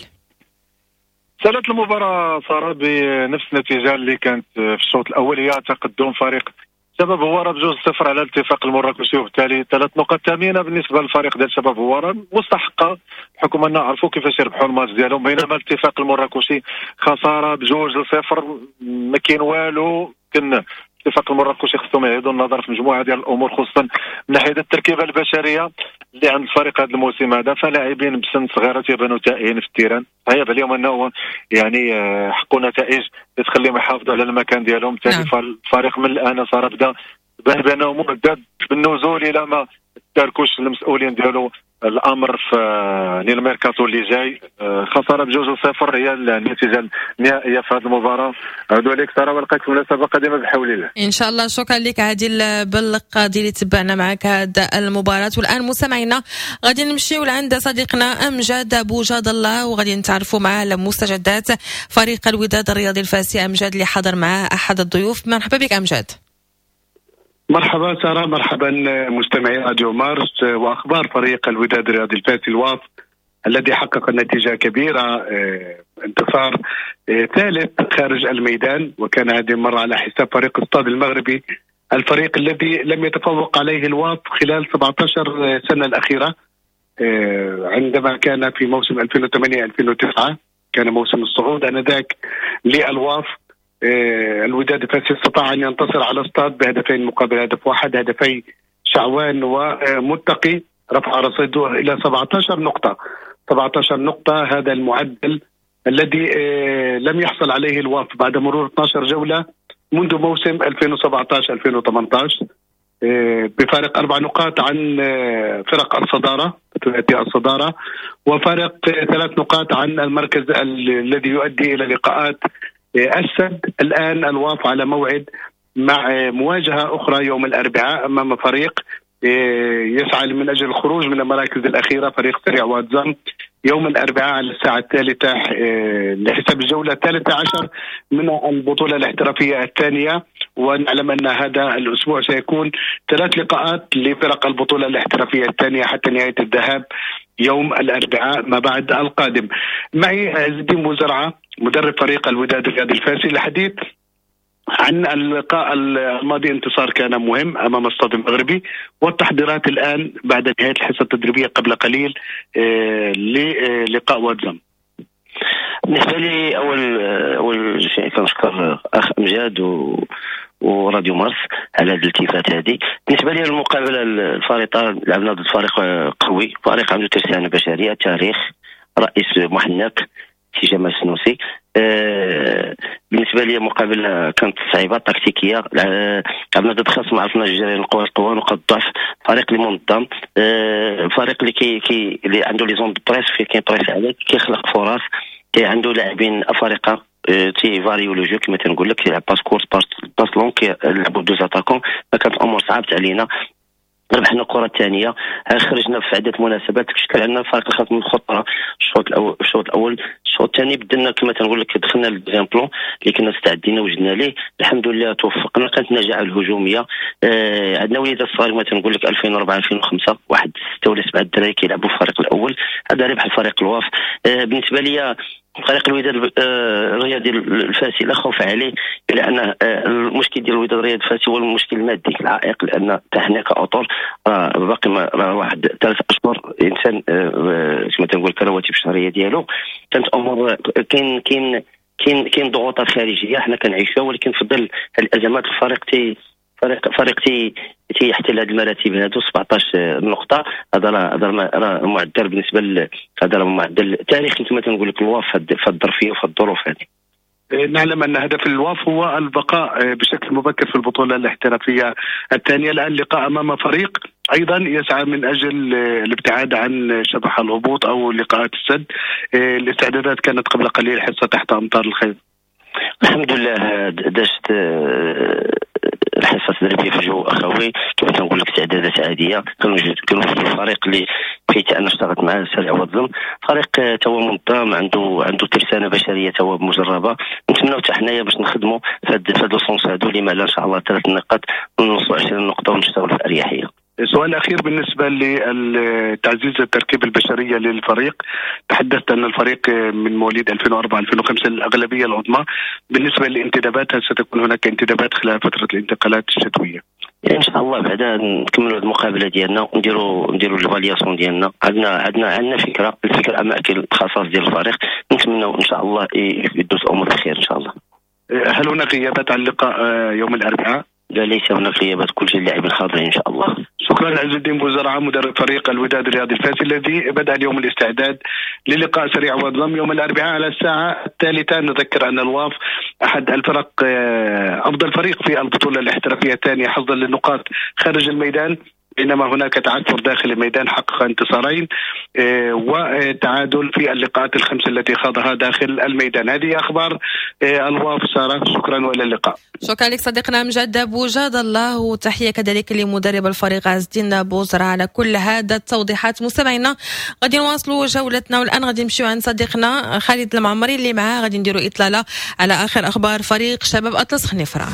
سالت المباراة ساره بنفس النتيجة اللي كانت في الشوط الاول، هي تقدم فريق شباب هوارة ب2-0 على الاتفاق المراكشي، وبالتالي 3 نقاط ثمينة بالنسبة للفريق ديال شباب هوارة مستحقه، بحكم ان عرفوا كيفاش يربحوا الماتش ديالهم. بينما الاتفاق المراكشي خسارة ب2-0، ما كاين والو. كان الاتفاق المراكشي خصهم يعيدوا النظر في مجموعة ديال الامور، خصوصا من ناحية التركيبة البشرية اللي عند الفريق هذا الموسم هذا، فلاعبين بسن صغيرة تيبانوا تائهين في ال terrain. صعيب عليهم انه يعني حقوا نتائج اللي تخليهم يحافظوا على المكان ديالهم. بالتالي الفريق من الان صار بدا بان بانه مهدد بالنزول الى ما تاركوش المسؤولين ديالو الامر في الميركاتو اللي جاي. خسارة ب2-0 هي النتيجة النهائية في هذه المباراة. عودوا عليك ساره، ولقيت مناسبة قادمة بحول الله ان شاء الله. شكرا لك عادل بالقاضي اللي تبعنا معك هذا المباراة. والان مستمعينا غادي نمشيو لعند صديقنا امجد ابو جاد الله، وغادي نتعرفوا معاه على مستجدات فريق الوداد الرياضي الفاسي. امجد اللي حضر معاه احد الضيوف، مرحبا بك امجد. مرحبا سارة، مرحبا مستمعي راديو مارس واخبار فريق الوداد الرياضي الفاسي الواف الذي حقق نتيجة كبيرة، انتصار ثالث خارج الميدان، وكان هذه المرة على حساب فريق الصاد المغربي، الفريق الذي لم يتفوق عليه الواف خلال 17 سنة الاخيرة، عندما كان في موسم 2008-2009 كان موسم الصعود انذاك للواف. الوداد الفاسي استطاع ان ينتصر على الصاد بهدفين مقابل هدف واحد، هدفي شعوان ومتقي، رفع رصيده الى 17 نقطة. 17 نقطة هذا المعدل الذي لم يحصل عليه الواف بعد مرور 12 جولة منذ موسم 2017-2018، بفارق 4 نقاط عن فرق الصدارة، ثلاثي الصدارة، وفارق 3 نقاط عن المركز الذي يؤدي الى لقاءات السد. الآن الواف على موعد مع مواجهة أخرى يوم الأربعاء أمام فريق يسعى من أجل الخروج من المراكز الأخيرة، فريق سريع واتزام، يوم الأربعاء على الساعة 3 لحساب الجولة 13 من البطولة الاحترافية الثانية. ونعلم أن هذا الأسبوع سيكون 3 لقاءات لفرق البطولة الاحترافية الثانية حتى نهاية الذهاب يوم الأربعاء ما بعد القادم. معي عز الدين بوزرعة مدرب فريق الوداد الرياضي الفاسي للحديث عن اللقاء الماضي، انتصار كان مهم أمام الصاد المغربي، والتحضيرات الآن بعد نهاية الحصة التدريبية قبل قليل للقاء واتزام. بالنسبة لي أول شيء كنشكر أخ أمجاد وراديو مارس على هذه الالتفات هذه. بالنسبة لي المقابلة الفارطه، لعبنا ضد فريق قوي، فريق عنده ترسانه بشرية، تاريخ، رئيس محنك سي جمال السنوسي. بالنسبة لي مقابله كانت صعيبة تكتيكية، لعبنا ضد خصم ما عرفناش جري القوة، نقاط الضعف، فريق اللي منظم، فريق اللي كي اللي عنده les zones de presse، كاين presse عليك، كيخلق فرص، كي عنده لاعبين افارقه تي varier le jeu كما تنقول لك، كيلعب passe courte passe longue، كيلعبوا deux attaquants. فكانت الامور صعبت علينا، ربحنا الكره الثانية، خرجنا في عده مناسبات، شكل عندنا فريق الخصم الخطرة الشوط الاول. الشوط الثاني بدلنا كما تنقول لك، دخلنا لل deuxième plan اللي كنا استعدينا وجدنا ليه، الحمد لله توفقنا. كانت النجاعه الهجومية، عندنا وليدات صغار كما تنقول لك 2004 2005 واحد 6 ولا 7 الدراري كيلعبوا في الفريق الاول، هذا ربح الفريق الواف. بالنسبة لي فريق الوداد الرياضي الفاسي لا خوف عليه، لان المشكل ديال الوداد الرياضي الفاسي هو المشكل المادي العائق، لان حتى حنا كاطر باقي واحد 3 اشهر انسان كما تنقول الرواتب الشهرية ديالو. كانت امور كاين كاين كاين كاين ضغوطات خارجية حنا كنعيشوها، ولكن في ظل الازمات الفريق فريق تيحتل هذه المراتب هادو 17 نقطة. هذا راه معدل بالنسبة هذا راه معدل تاريخي كما تنقول لك الواف في الظرفية وفي الظروف هذه. نعلم ان هدف الواف هو البقاء بشكل مبكر في البطولة الاحترافية الثانية. الان لقاء امام فريق ايضا يسعى من اجل الابتعاد عن شبح الهبوط او لقاءات السد. الاستعدادات كانت قبل قليل حصة تحت امطار الخير. الحمد لله دازت الحصة التدريبية في جو اخوي، كما تنقول لك استعدادات عادية، كنوجدوا الفريق اللي فيه انا اشتغلت معاه سريع والظلم، فريق تا هو منظم، عنده ترسانه بشرية تا هو مجربه. نتمناو حتى حنايا باش نخدموا في هاد ال sens هادو، لما لا ان شاء الله 3 نقاط ونوصلوا 20 نقطة ونشتغلوا في اريحية. سؤال أخير بالنسبة لتعزيز التركيبة البشرية للفريق، تحدثت أن الفريق من مواليد 2004-2005 الأغلبية العظمى، بالنسبة للانتدابات هل ستكون هناك انتدابات خلال فترة الانتقالات الشتوية؟ إن شاء الله بعدا نكملوا المقابلة ديالنا ونديروا l'évaluation ديالنا. عندنا فكرة، الفكرة أماكن الخصائص ديال الفريق، نتمنوا إن شاء الله يدوز الأمور بخير إن شاء الله. هل هناك غيابات عن اللقاء يوم الأربعاء؟ لا، ليس هناك غيابات، كل اللاعبين حاضرين ان شاء الله. شكرا عز الدين بوزرعه مدرب فريق الوداد الرياضي الفاسي الذي بدا اليوم الاستعداد للقاء سريع والظلم يوم الاربعاء على الساعة 3. نذكر ان الواف احد الفرق، افضل فريق في البطولة الاحترافية الثانية حظا للنقاط خارج الميدان، بينما هناك تعثر داخل الميدان، حقق انتصارين وتعادل في اللقاءات الخمس التي خاضها داخل الميدان. هذه أخبار الواف سارة، شكرا وإلى اللقاء. شكرا لك صديقنا أمجد بوجاد الله، وتحية كذلك لمدرب الفريق عز الدين بوزرعة على كل هذا التوضيحات. مستمعينا غادي نواصلوا جولتنا، والآن غادي نمشيو عند صديقنا خالد المعمري اللي معاه غادي نديروا إطلالة على آخر أخبار فريق شباب أطلس خنيفرة.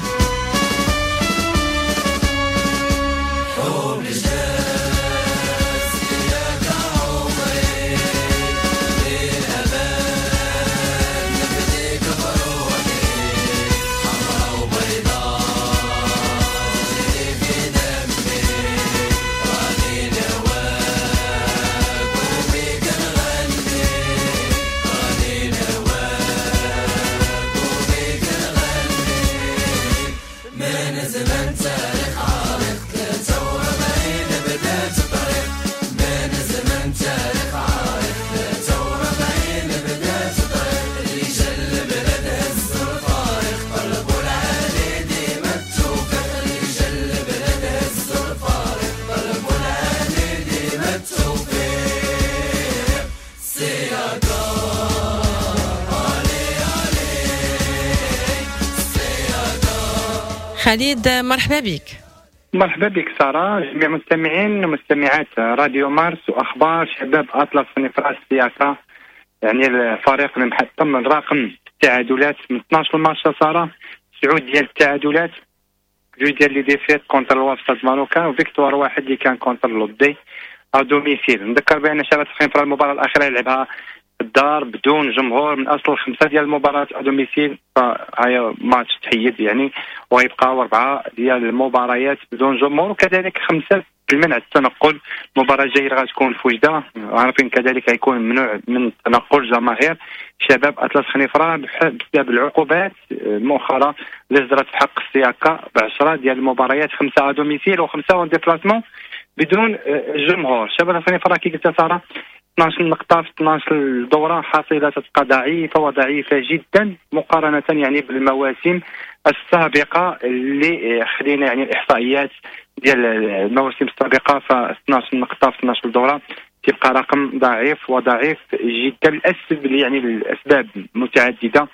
خالد مرحبا بك. مرحبا بك سارة، جميع المستمعين ومستمعات راديو مارس وأخبار شباب أطلس خنيفرة السياسة. يعني الفريق اللي محطم الرقم التعادلات من 12 ماتش سارة، 9 ديال التعادلات، 2 ديال les défaites contre الواف Stade Marocain و victoire واحد اللي كان contre لودي à domicile. نذكر بأن شباب خنيفرة المباراة الأخيرة لعبها الدار بدون جمهور من اصل 5 ديال المباريات à domicile، فهي ماتش تحيد يعني، ويبقاو 4 ديال المباريات بدون جمهور، وكذلك 5 المنع التنقل. المباراة الجاية غتكون في وجده، عارفين كذلك غيكون ممنوع من تنقل جماهير شباب اطلس خنيفره بسبب العقوبات المؤخرة اللي صدرت في حق السياقه ب10 ديال المباريات، 5 à domicile و5 en déplacement بدون جمهور. شباب خنيفره كي قلت ساره 12 نقطة في 12 دورة، حصيلة تبقى ضعيفة وضعيفة جدا مقارنة يعني بالمواسم السابقة اللي خدينا يعني الإحصائيات ديال المواسم السابقة، ف 12 نقطة في 12 دورة تبقى رقم ضعيف وضعيف جدا. الأسباب يعني الأسباب متعددة،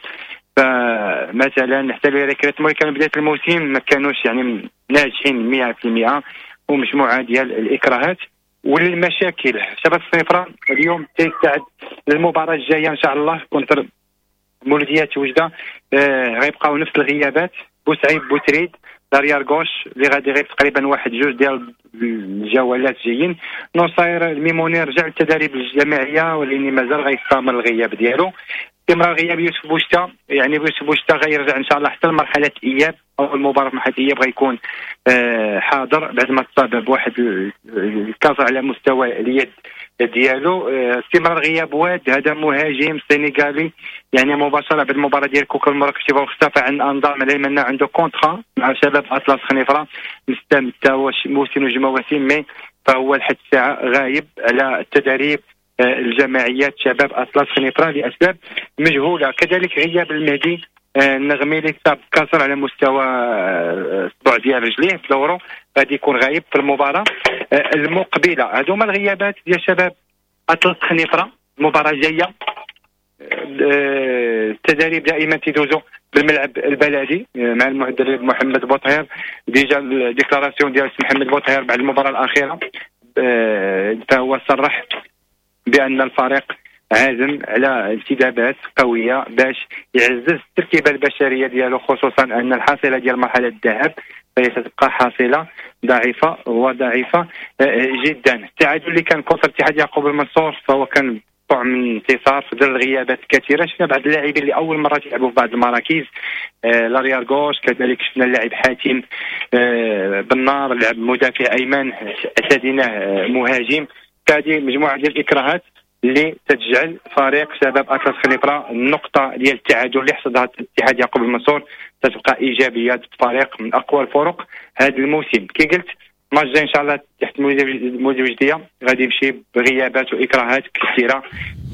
فمثلا حتى les recrutements اللي كانوا بداية الموسم ما كانوش يعني ناجحين 100%، ومجموعة ديال الإكراهات والمشاكل. شباب خنيفرة اليوم تيستعد للمباراة الجاية إن شاء الله contre مولوديات وجدة. غيبقاو نفس الغيابات، بوسعيد بوتريد l'arrière gauche اللي غادي يغيب تقريبا 1-2 ديال الجولات جايين. نصير الميموني رجع للتدريب الجماعية ولكن مازال غيستمر الغياب ديالو. استمرار غياب يوسف بوشتا، يعني يوسف بوشتا غيرجع ان شاء الله حتى لمرحلة الاياب او المباراة في مرحلة الاياب غيكون حاضر بعد ما تصاب بواحد الكسر على مستوى اليد ديالو. استمرار غياب واد، هذا مهاجم سنغالي يعني مباشرة بعد المباراة ديال كوكا المراكشي واختفى عن الانظار، علما انه عنده contrat مع شباب اطلس خنيفره مستمتع موسم وجوج مواسم، mais فهو لحد الساعة غايب على التدريب الجماعيات شباب اطلس خنيفره لاسباب مجهولة. كذلك غياب المهدي النغمي اللي تصاب كسر على مستوى الصبع ديال رجليه في دوره، غادي يكون غايب في المباراة المقبلة. هادو هما الغيابات ديال شباب اطلس خنيفره. المباراة الجاية التدريب دائما تيدوزو بالملعب البلدي مع المدرب محمد بوطهير. déjà ال déclaration ديال محمد بوطهير بعد المباراة الاخيرة فهو صرح بان الفريق عازم على انتدابات قوية باش يعزز التركيبة البشرية ديالو، خصوصا ان الحاصلة ديال مرحلة الذهاب فهي ستبقى حاصله ضعيفة وضعيفه جدا. التعادل اللي كان contre اتحاد يعقوب المنصور فهو كان طعم من انتصار في ظل الغيابات الكثيرة. شفنا بعض اللاعبين اللي اول مرة يلعبوا في بعض المراكز، l'arrière gauche، كذلك شفنا اللاعب حاتم بنار لعب مدافع ايمن، اسدينه مهاجم. هذه مجموعة ديال الاكراهات اللي تجعل فريق شباب اطلس خنيفره النقطة ديال التعادل اللي حصدها اتحاد يعقوب المنصور تتبقى ايجابية. فريق من اقوى الفرق هذا الموسم. كي قلت الماتش الجاي ان شاء الله تحت المولوديه غادي يمشي بغيابات واكراهات كثيرة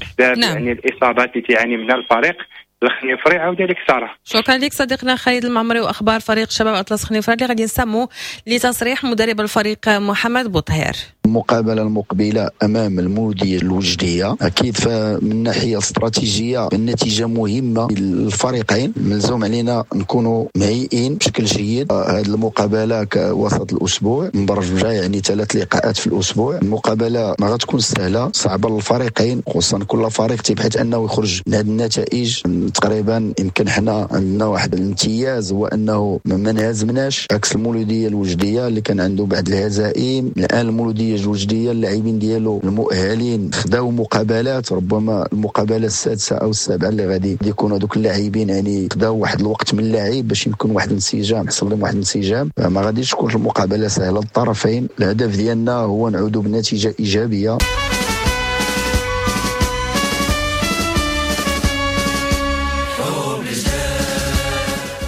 بسبب نعم. يعني الاصابات اللي تعاني منها الفريق الخنيفري. عاود لك ساره. شكرا لك صديقنا خالد المعمري واخبار فريق شباب اطلس خنيفره اللي غادي نسمو لتصريح مدرب الفريق محمد بوطهير. المقابلة المقبلة امام المولوديه الوجديه اكيد فمن الناحية الاستراتيجية النتيجة مهمة للفريقين، ملزوم علينا نكونوا مهيئين بشكل جيد. هذه المقابلة كوسط الاسبوع مبرمجه، يعني 3 لقاءات في الاسبوع. المقابلة ما غتكون سهلة، صعبة للفريقين، خصوصا كل فريق تيبحث انه يخرج من هذه النتائج. تقريبا يمكن حنا عندنا واحد الامتياز هو انه ما انهزمناش عكس المولوديه الوجديه اللي كان عنده بعض الهزائم. الان المولوديه الوجديه اللاعبين ديالو المؤهلين خداو مقابلات، ربما المقابلة السادسة او السابعة اللي غادي يكونوا هذوك اللاعبين يعني خداو واحد الوقت من اللاعب باش يكون واحد الانسجام، حصل لهم واحد الانسجام. ما غاديش تكون المقابلة سهلة للطرفين. الهدف ديالنا هو نعودوا بنتيجة ايجابية.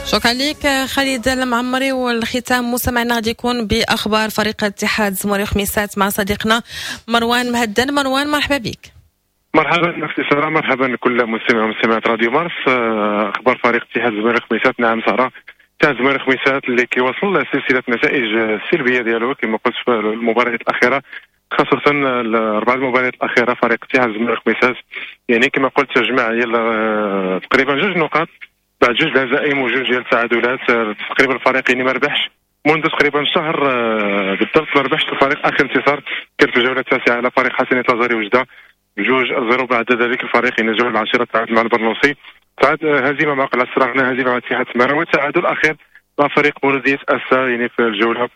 شكرا لك خالد المعمري. والختام مستمعنا غادي يكون باخبار فريق اتحاد زموري خميسات مع صديقنا مروان مهدن. مروان مرحبا بك. مرحبا نفسي ساره، مرحبا لكل مستمع ومستمعات راديو مارس. اخبار فريق اتحاد زموري خميسات. نعم ساره، اتحاد زموري خميسات اللي كيوصل سلسلة نتائج السلبية ديالو كما قلت في المباريات الاخيرة، خاصة الأربع المباريات الأخيرة. فريق اتحاد زموري خميسات يعني كما قلت جمع تقريبا 2 نقاط بعد 2 هزائم وجوج ديال التعادلات. تقريبا الفريق يعني ما ربحش منذ تقريبا شهر بالضبط، ما ربحش الفريق. اخر انتصار كان في الجولة التاسعة على فريق حسنيه لازاري وجده 2-0. بعد ذلك الفريق يعني الجولة العاشرة تعادل مع البرنوسي، تعادل هزيمة مع قلعه السراغنه، هزيمة مع اتحاد تمارا، وتعادل اخير مع فريق مولوديه اسا يعني في الجولة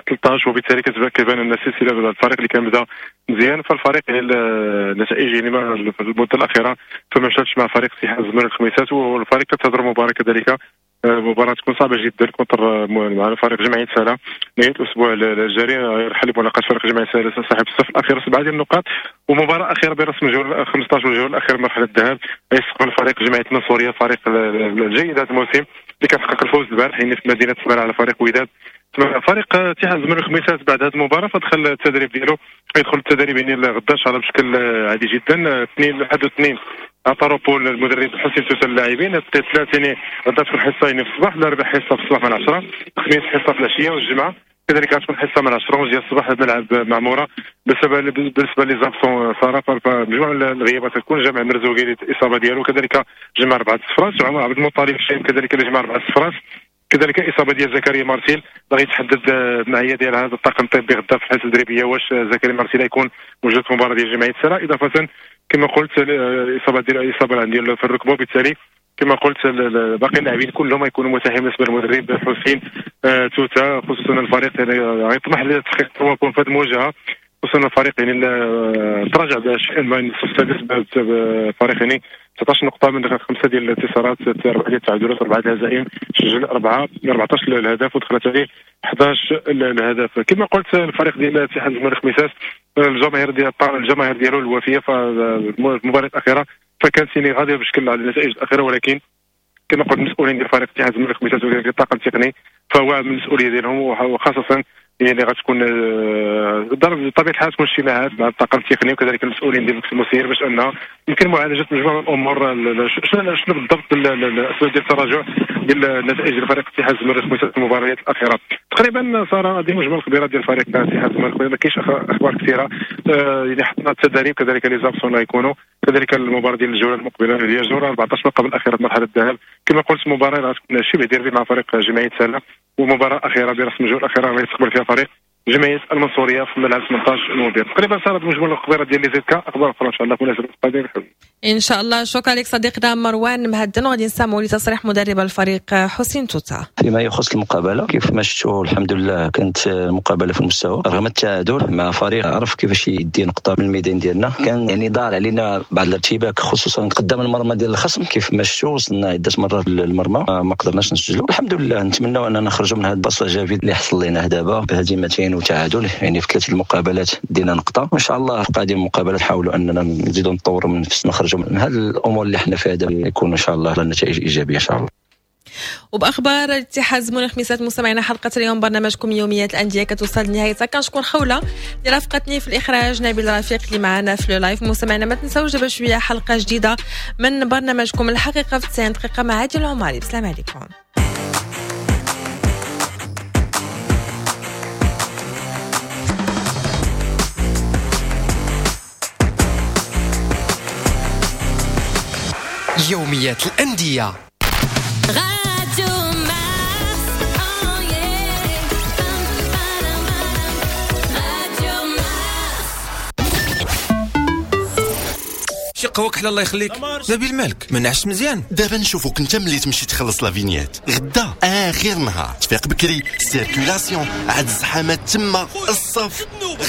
13. وبالتالي كتبان ان السلسلة الفريق اللي كان بدا مزيان، فالفريق يعني النتائج يعني في المدة الاخيرة فما مشاتش مع فريق اتحاد زمور الخميسات. والفريق كتهضر مباراة كذلك، مباراة تكون صعبة جدا contre مع فريق جمعية سلا نهاية الاسبوع الجاري. يرحل بملاقاه فريق جمعية سلا صاحب الصف الاخير 7 ديال النقاط. ومباراة اخيرة برسم الجولة 15 والجوله الاخيرة مرحلة الذهاب يستقبل فريق جمعية المنصوريه، فريق الجيد هذا الموسم اللي كان حقق الفوز البارح يعني في مدينة سمارة على فريق وداد. فريق اتحاد زمور الخميسات بعد هذه المباراة فدخل التدريب ديالو، يدخل التدريب يعني غدا ان شاء الله بشكل عادي جدا. 2 1 و2 عطى روبول المدرب حسين توسل اللاعبين. الثلاث يعني غدا تكون حصة يعني في الصباح، الاربع حصة في الصباح من 10، الخميس حصة في العشية، والجمعة كذلك غتكون حصة من 10 ديال الصباح في ملعب معموره. بالنسبة les absents ساره فمجموعه الغيابات تكون جمع مرزوقي الاصابة ديالو، كذلك جمع 4 صفرات، وعمر عبد المطالب الشايب كذلك اللي جمع 4 صفرات، كذلك اصابه ديال زكريا مارسيل باغي يتحدد المعية ديال هذا الطاقم الطبي غدا في الحصة التدريبية واش زكريا مارسيل يكون موجود في المباراة ديال جمعية سلا. اضافه كما قلت الاصابة ديال الاصابة ديال في الركبة، وبالتالي كما قلت باقي اللاعبين كلهم يكونوا متاحين بالنسبة للمدرب حسين توتا، خصوصا الفريق يعني غيطمح لتحقيق 3 points في هذه المواجهة، خصوصا الفريق يعني تراجع بشيء ما الصف السادس فريق يعني 19 نقطة من 5 ديال الانتصارات، 4 ديال التعادلات، 4 ديال الهزائم، سجل 14 الهدف ودخلت عليه 11 الهدف. كما قلت الفريق ديال اتحاد زمور الخميسات الجماهير ديالو الوفية في المباراة الأخيرة فكانت يعني غادية بشكل على النتائج الأخيرة، ولكن كما قلت المسؤولين ديال فريق اتحاد زمور الخميسات وكذلك الطاقم التقني فهو من المسؤولية ديالهم، وخاصة يعني غتكون بطبيعة الحال تكون اجتماعات مع الطاقم التقني وكذلك المسؤولين ديال المكتب المسير باش ان يمكن معالجة مجموعة من الامور. شنو بالضبط الاسباب ديال التراجع ديال النتائج ديال فريق اتحاد زمور الخميسات في المباريات الاخيرة. تقريبا ساره هذه مجمل الخبيرات ديال فريق اتحاد الزمالك، ما كاينش اخبار كثيرة. يعني حطنا التدريب كذلك les absents اللي يكونوا، كذلك المباراة ديال الجولة المقبلة اللي هي الجولة 14 من قبل الاخيرة في مرحلة الذهاب. كما قلت مباراة غتكون شبه ديربي مع فريق جمعية سلا، ومباراة اخيرة برسم الجولة الاخيرة غادي يستقبل فيها فريق جمعية المنصوريه في ملعب 18 نوفمبر. تقريبا صارت مجمل الخبيرات ديال les ZK، اخبار اخرى ان شاء الله في مناسبة القادمة. ان شاء الله. شكرا لك صديقنا مروان مهدن، وغادي نسمعوا لتصريح مدرب الفريق حسين توتا. فيما يخص المقابلة كيف ما شفتوا الحمد لله كانت المقابلة في المستوى رغم التعادل مع فريق عرف كيفاش يدي نقطة من الميدان ديالنا. كان يعني دار علينا بعض الارتباك خصوصا قدام المرمى ديال الخصم، كيف ما شفتوا وصلنا عده مرات للمرمى ما قدرناش نسجلوا. الحمد لله نتمنوا اننا نخرجوا من هذا ال passage à vide اللي حصل لنا دابا بهزيمتين وتعادل، يعني في 3 المقابلات دينا نقطة، وان شاء الله في قادم المقابلات نحاولوا اننا نزيدوا نطوروا من نفسنا نخرجوا من هذه الامور اللي حنا فيها دابا، يكون ان شاء الله النتائج ايجابية ان شاء الله. وباخبار الاتحاد زمون الخميسات مستمعينا حلقة اليوم برنامجكم يوميات الاندية كتوصل لنهايتها. كنشكر خوله اللي رافقتني في الاخراج، نبيل رفيق اللي معنا في live. مستمعينا ما تنساوش دابا شوية حلقة جديدة من برنامجكم الحقيقة في 90 دقيقة مع عادل العماري. بسلام عليكم. يوميات الأندية. شي قهوة كحلة الله يخليك. نبيل مالك ما نعش مزيان. دابا نشوفوك انت ملي تمشي تخلص la vignette غدا اخر نهار، تفيق بكري، circulation، عاد الزحامات تما، الصف،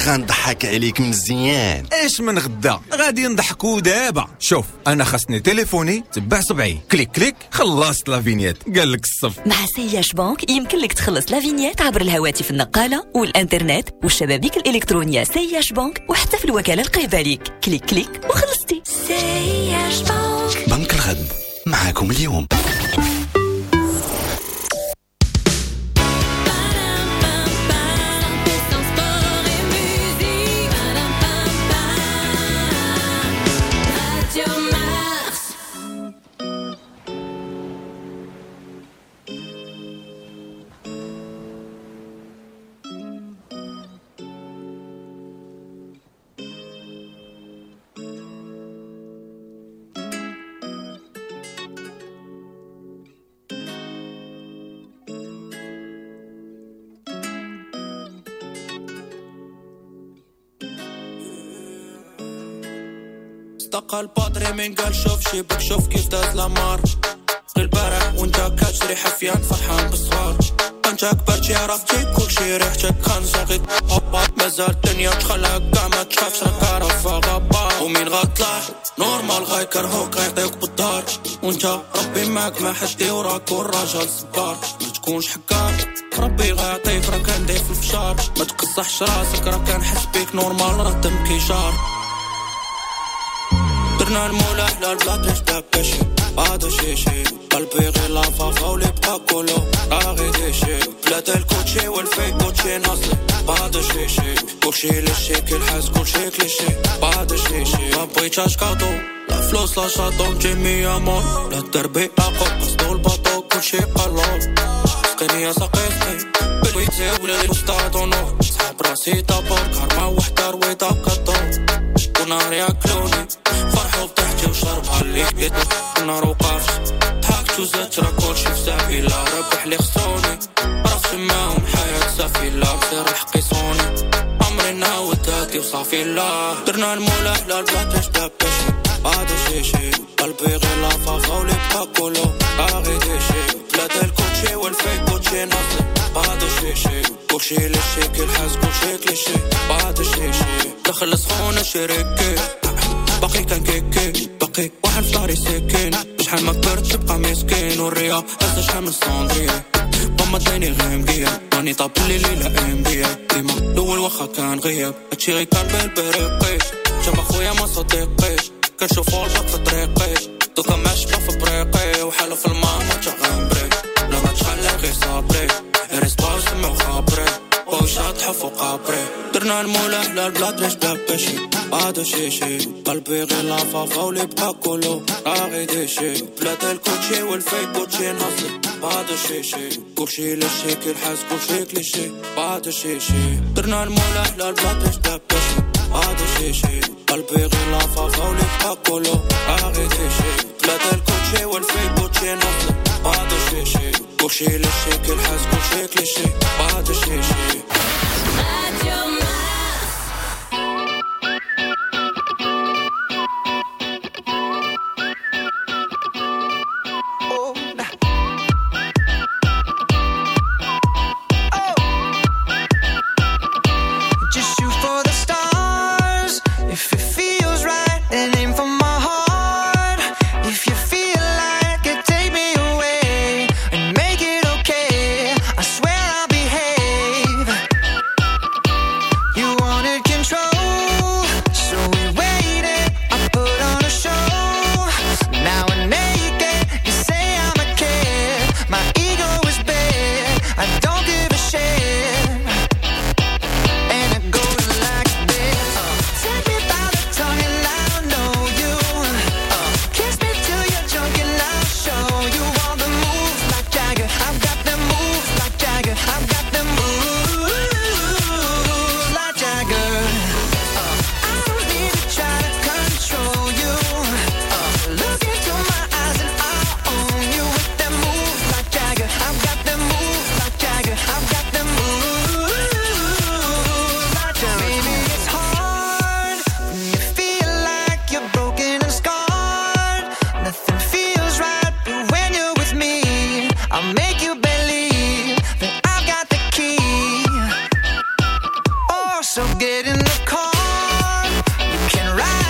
غنضحك عليك مزيان. ايش من غدا؟ غادي نضحكوا دابا. شوف انا خاصني تليفوني، تبع صبعي، clic clic، خلصت la vignette. قال لك الصف. مع CIH Bank يمكن لك تخلص la vignette عبر الهواتف النقالة والانترنت والشبابيك الالكترونية CIH Bank، وحتى في الوكالة القريبة ليك. clic clic وخلصتي. CIH Bank، بنك الغد معاكم اليوم. استقى البادري من قال شوف شيبك شوف كيف داز لامار غير البارح وانت كتجري حفيان فرحان بالصغار. انت كبرتي عرفتي كلشي ريحتك كنزغي مازال الدنيا تخلعك كاع ما تخافش راك عارف غابة. ومين غطلع normal غيكرهوك غيعطيوك بالدار، وانت ربي معاك ما حد وراك والراجل صبار. ما تكونش حكار ربي غيعطيك راه كندير في الفشار. ما تقصحش راسك راه كنحس بيك normal راه دم كيجار. درنا المولى على البلاطيش داكشي هذا شي شي قلبي غير لافافا ولي بقى كولو راه غير ديشي بلاد الكوتشي والفيك كوتشي ناصلي هذا شي شي كلشي لشي كيلحس كلشي كليشي هذا شي شي. ما بغيتش كادو لا فلوس لا شاطو جيمي امور لا دربي اقو قصدو الباطو كلشي قالو سقيني يا سقيتني بالويتي ولا لوستادونو صحاب راسي طابور كارما وحده رويطه كطور ونهار ياكلوني فرحوا بضحكي وشربها اللي النار وقفت ضحكت وزدت راه كلشي في سبيلة ربح لي خسروني راسي معاهم حياة سفيلة بصير الحق يصوني عمري نعاود هادي وصافي. لا درنا المولى على البلاطيش داكشي هذا شي شي قلبي غير لافافا ولي بقى كولو راه غير ديشي بلاد الكوتشي والفيك كوتشي ناصلي هذا شي شي كلشي لشي كيلحس كلشي كليشي هذا شي شي. دخل سخونة شريكي باقي كان كيكي باقي واحد في داري سكين شحال ما كبرت تبقى مسكين والريا هزا شحال من صندرية ماما داني غير مقيا راني طاب اللي ليلة ام بيا ديما الاول واخا كان غياب هادشي غير كان بالبريقي جمع خويا ما صديقيش كنشوفو الباق في طريقي دوكا ماشبه في بريقي وحالو في الماما تغنبري لا ما تخلي غير صابري ريسباو سمعو خابري وشاطحو فوق قابري درنا درنا المولى حلال بلا طريش بلا باشي بعد شيشي قلبي غير لافافا واللي بقى كله راغي ديشي بلاد الكوتشي والفيك كوتشي ناصي بعد شيشي كلشي لشي كيلحس كلشي كليشي بعد شيشي درنا المولى حلال بلا طريش بلا باشي بعد شيشي قلبي غير لافافا واللي بقى كله راغي ديشي بلاد الكوتشي والفيك كوتشي ناصي بعد شيشي كلشي لشي كيلحس كلشي كليشي بعد شيشي. Radio.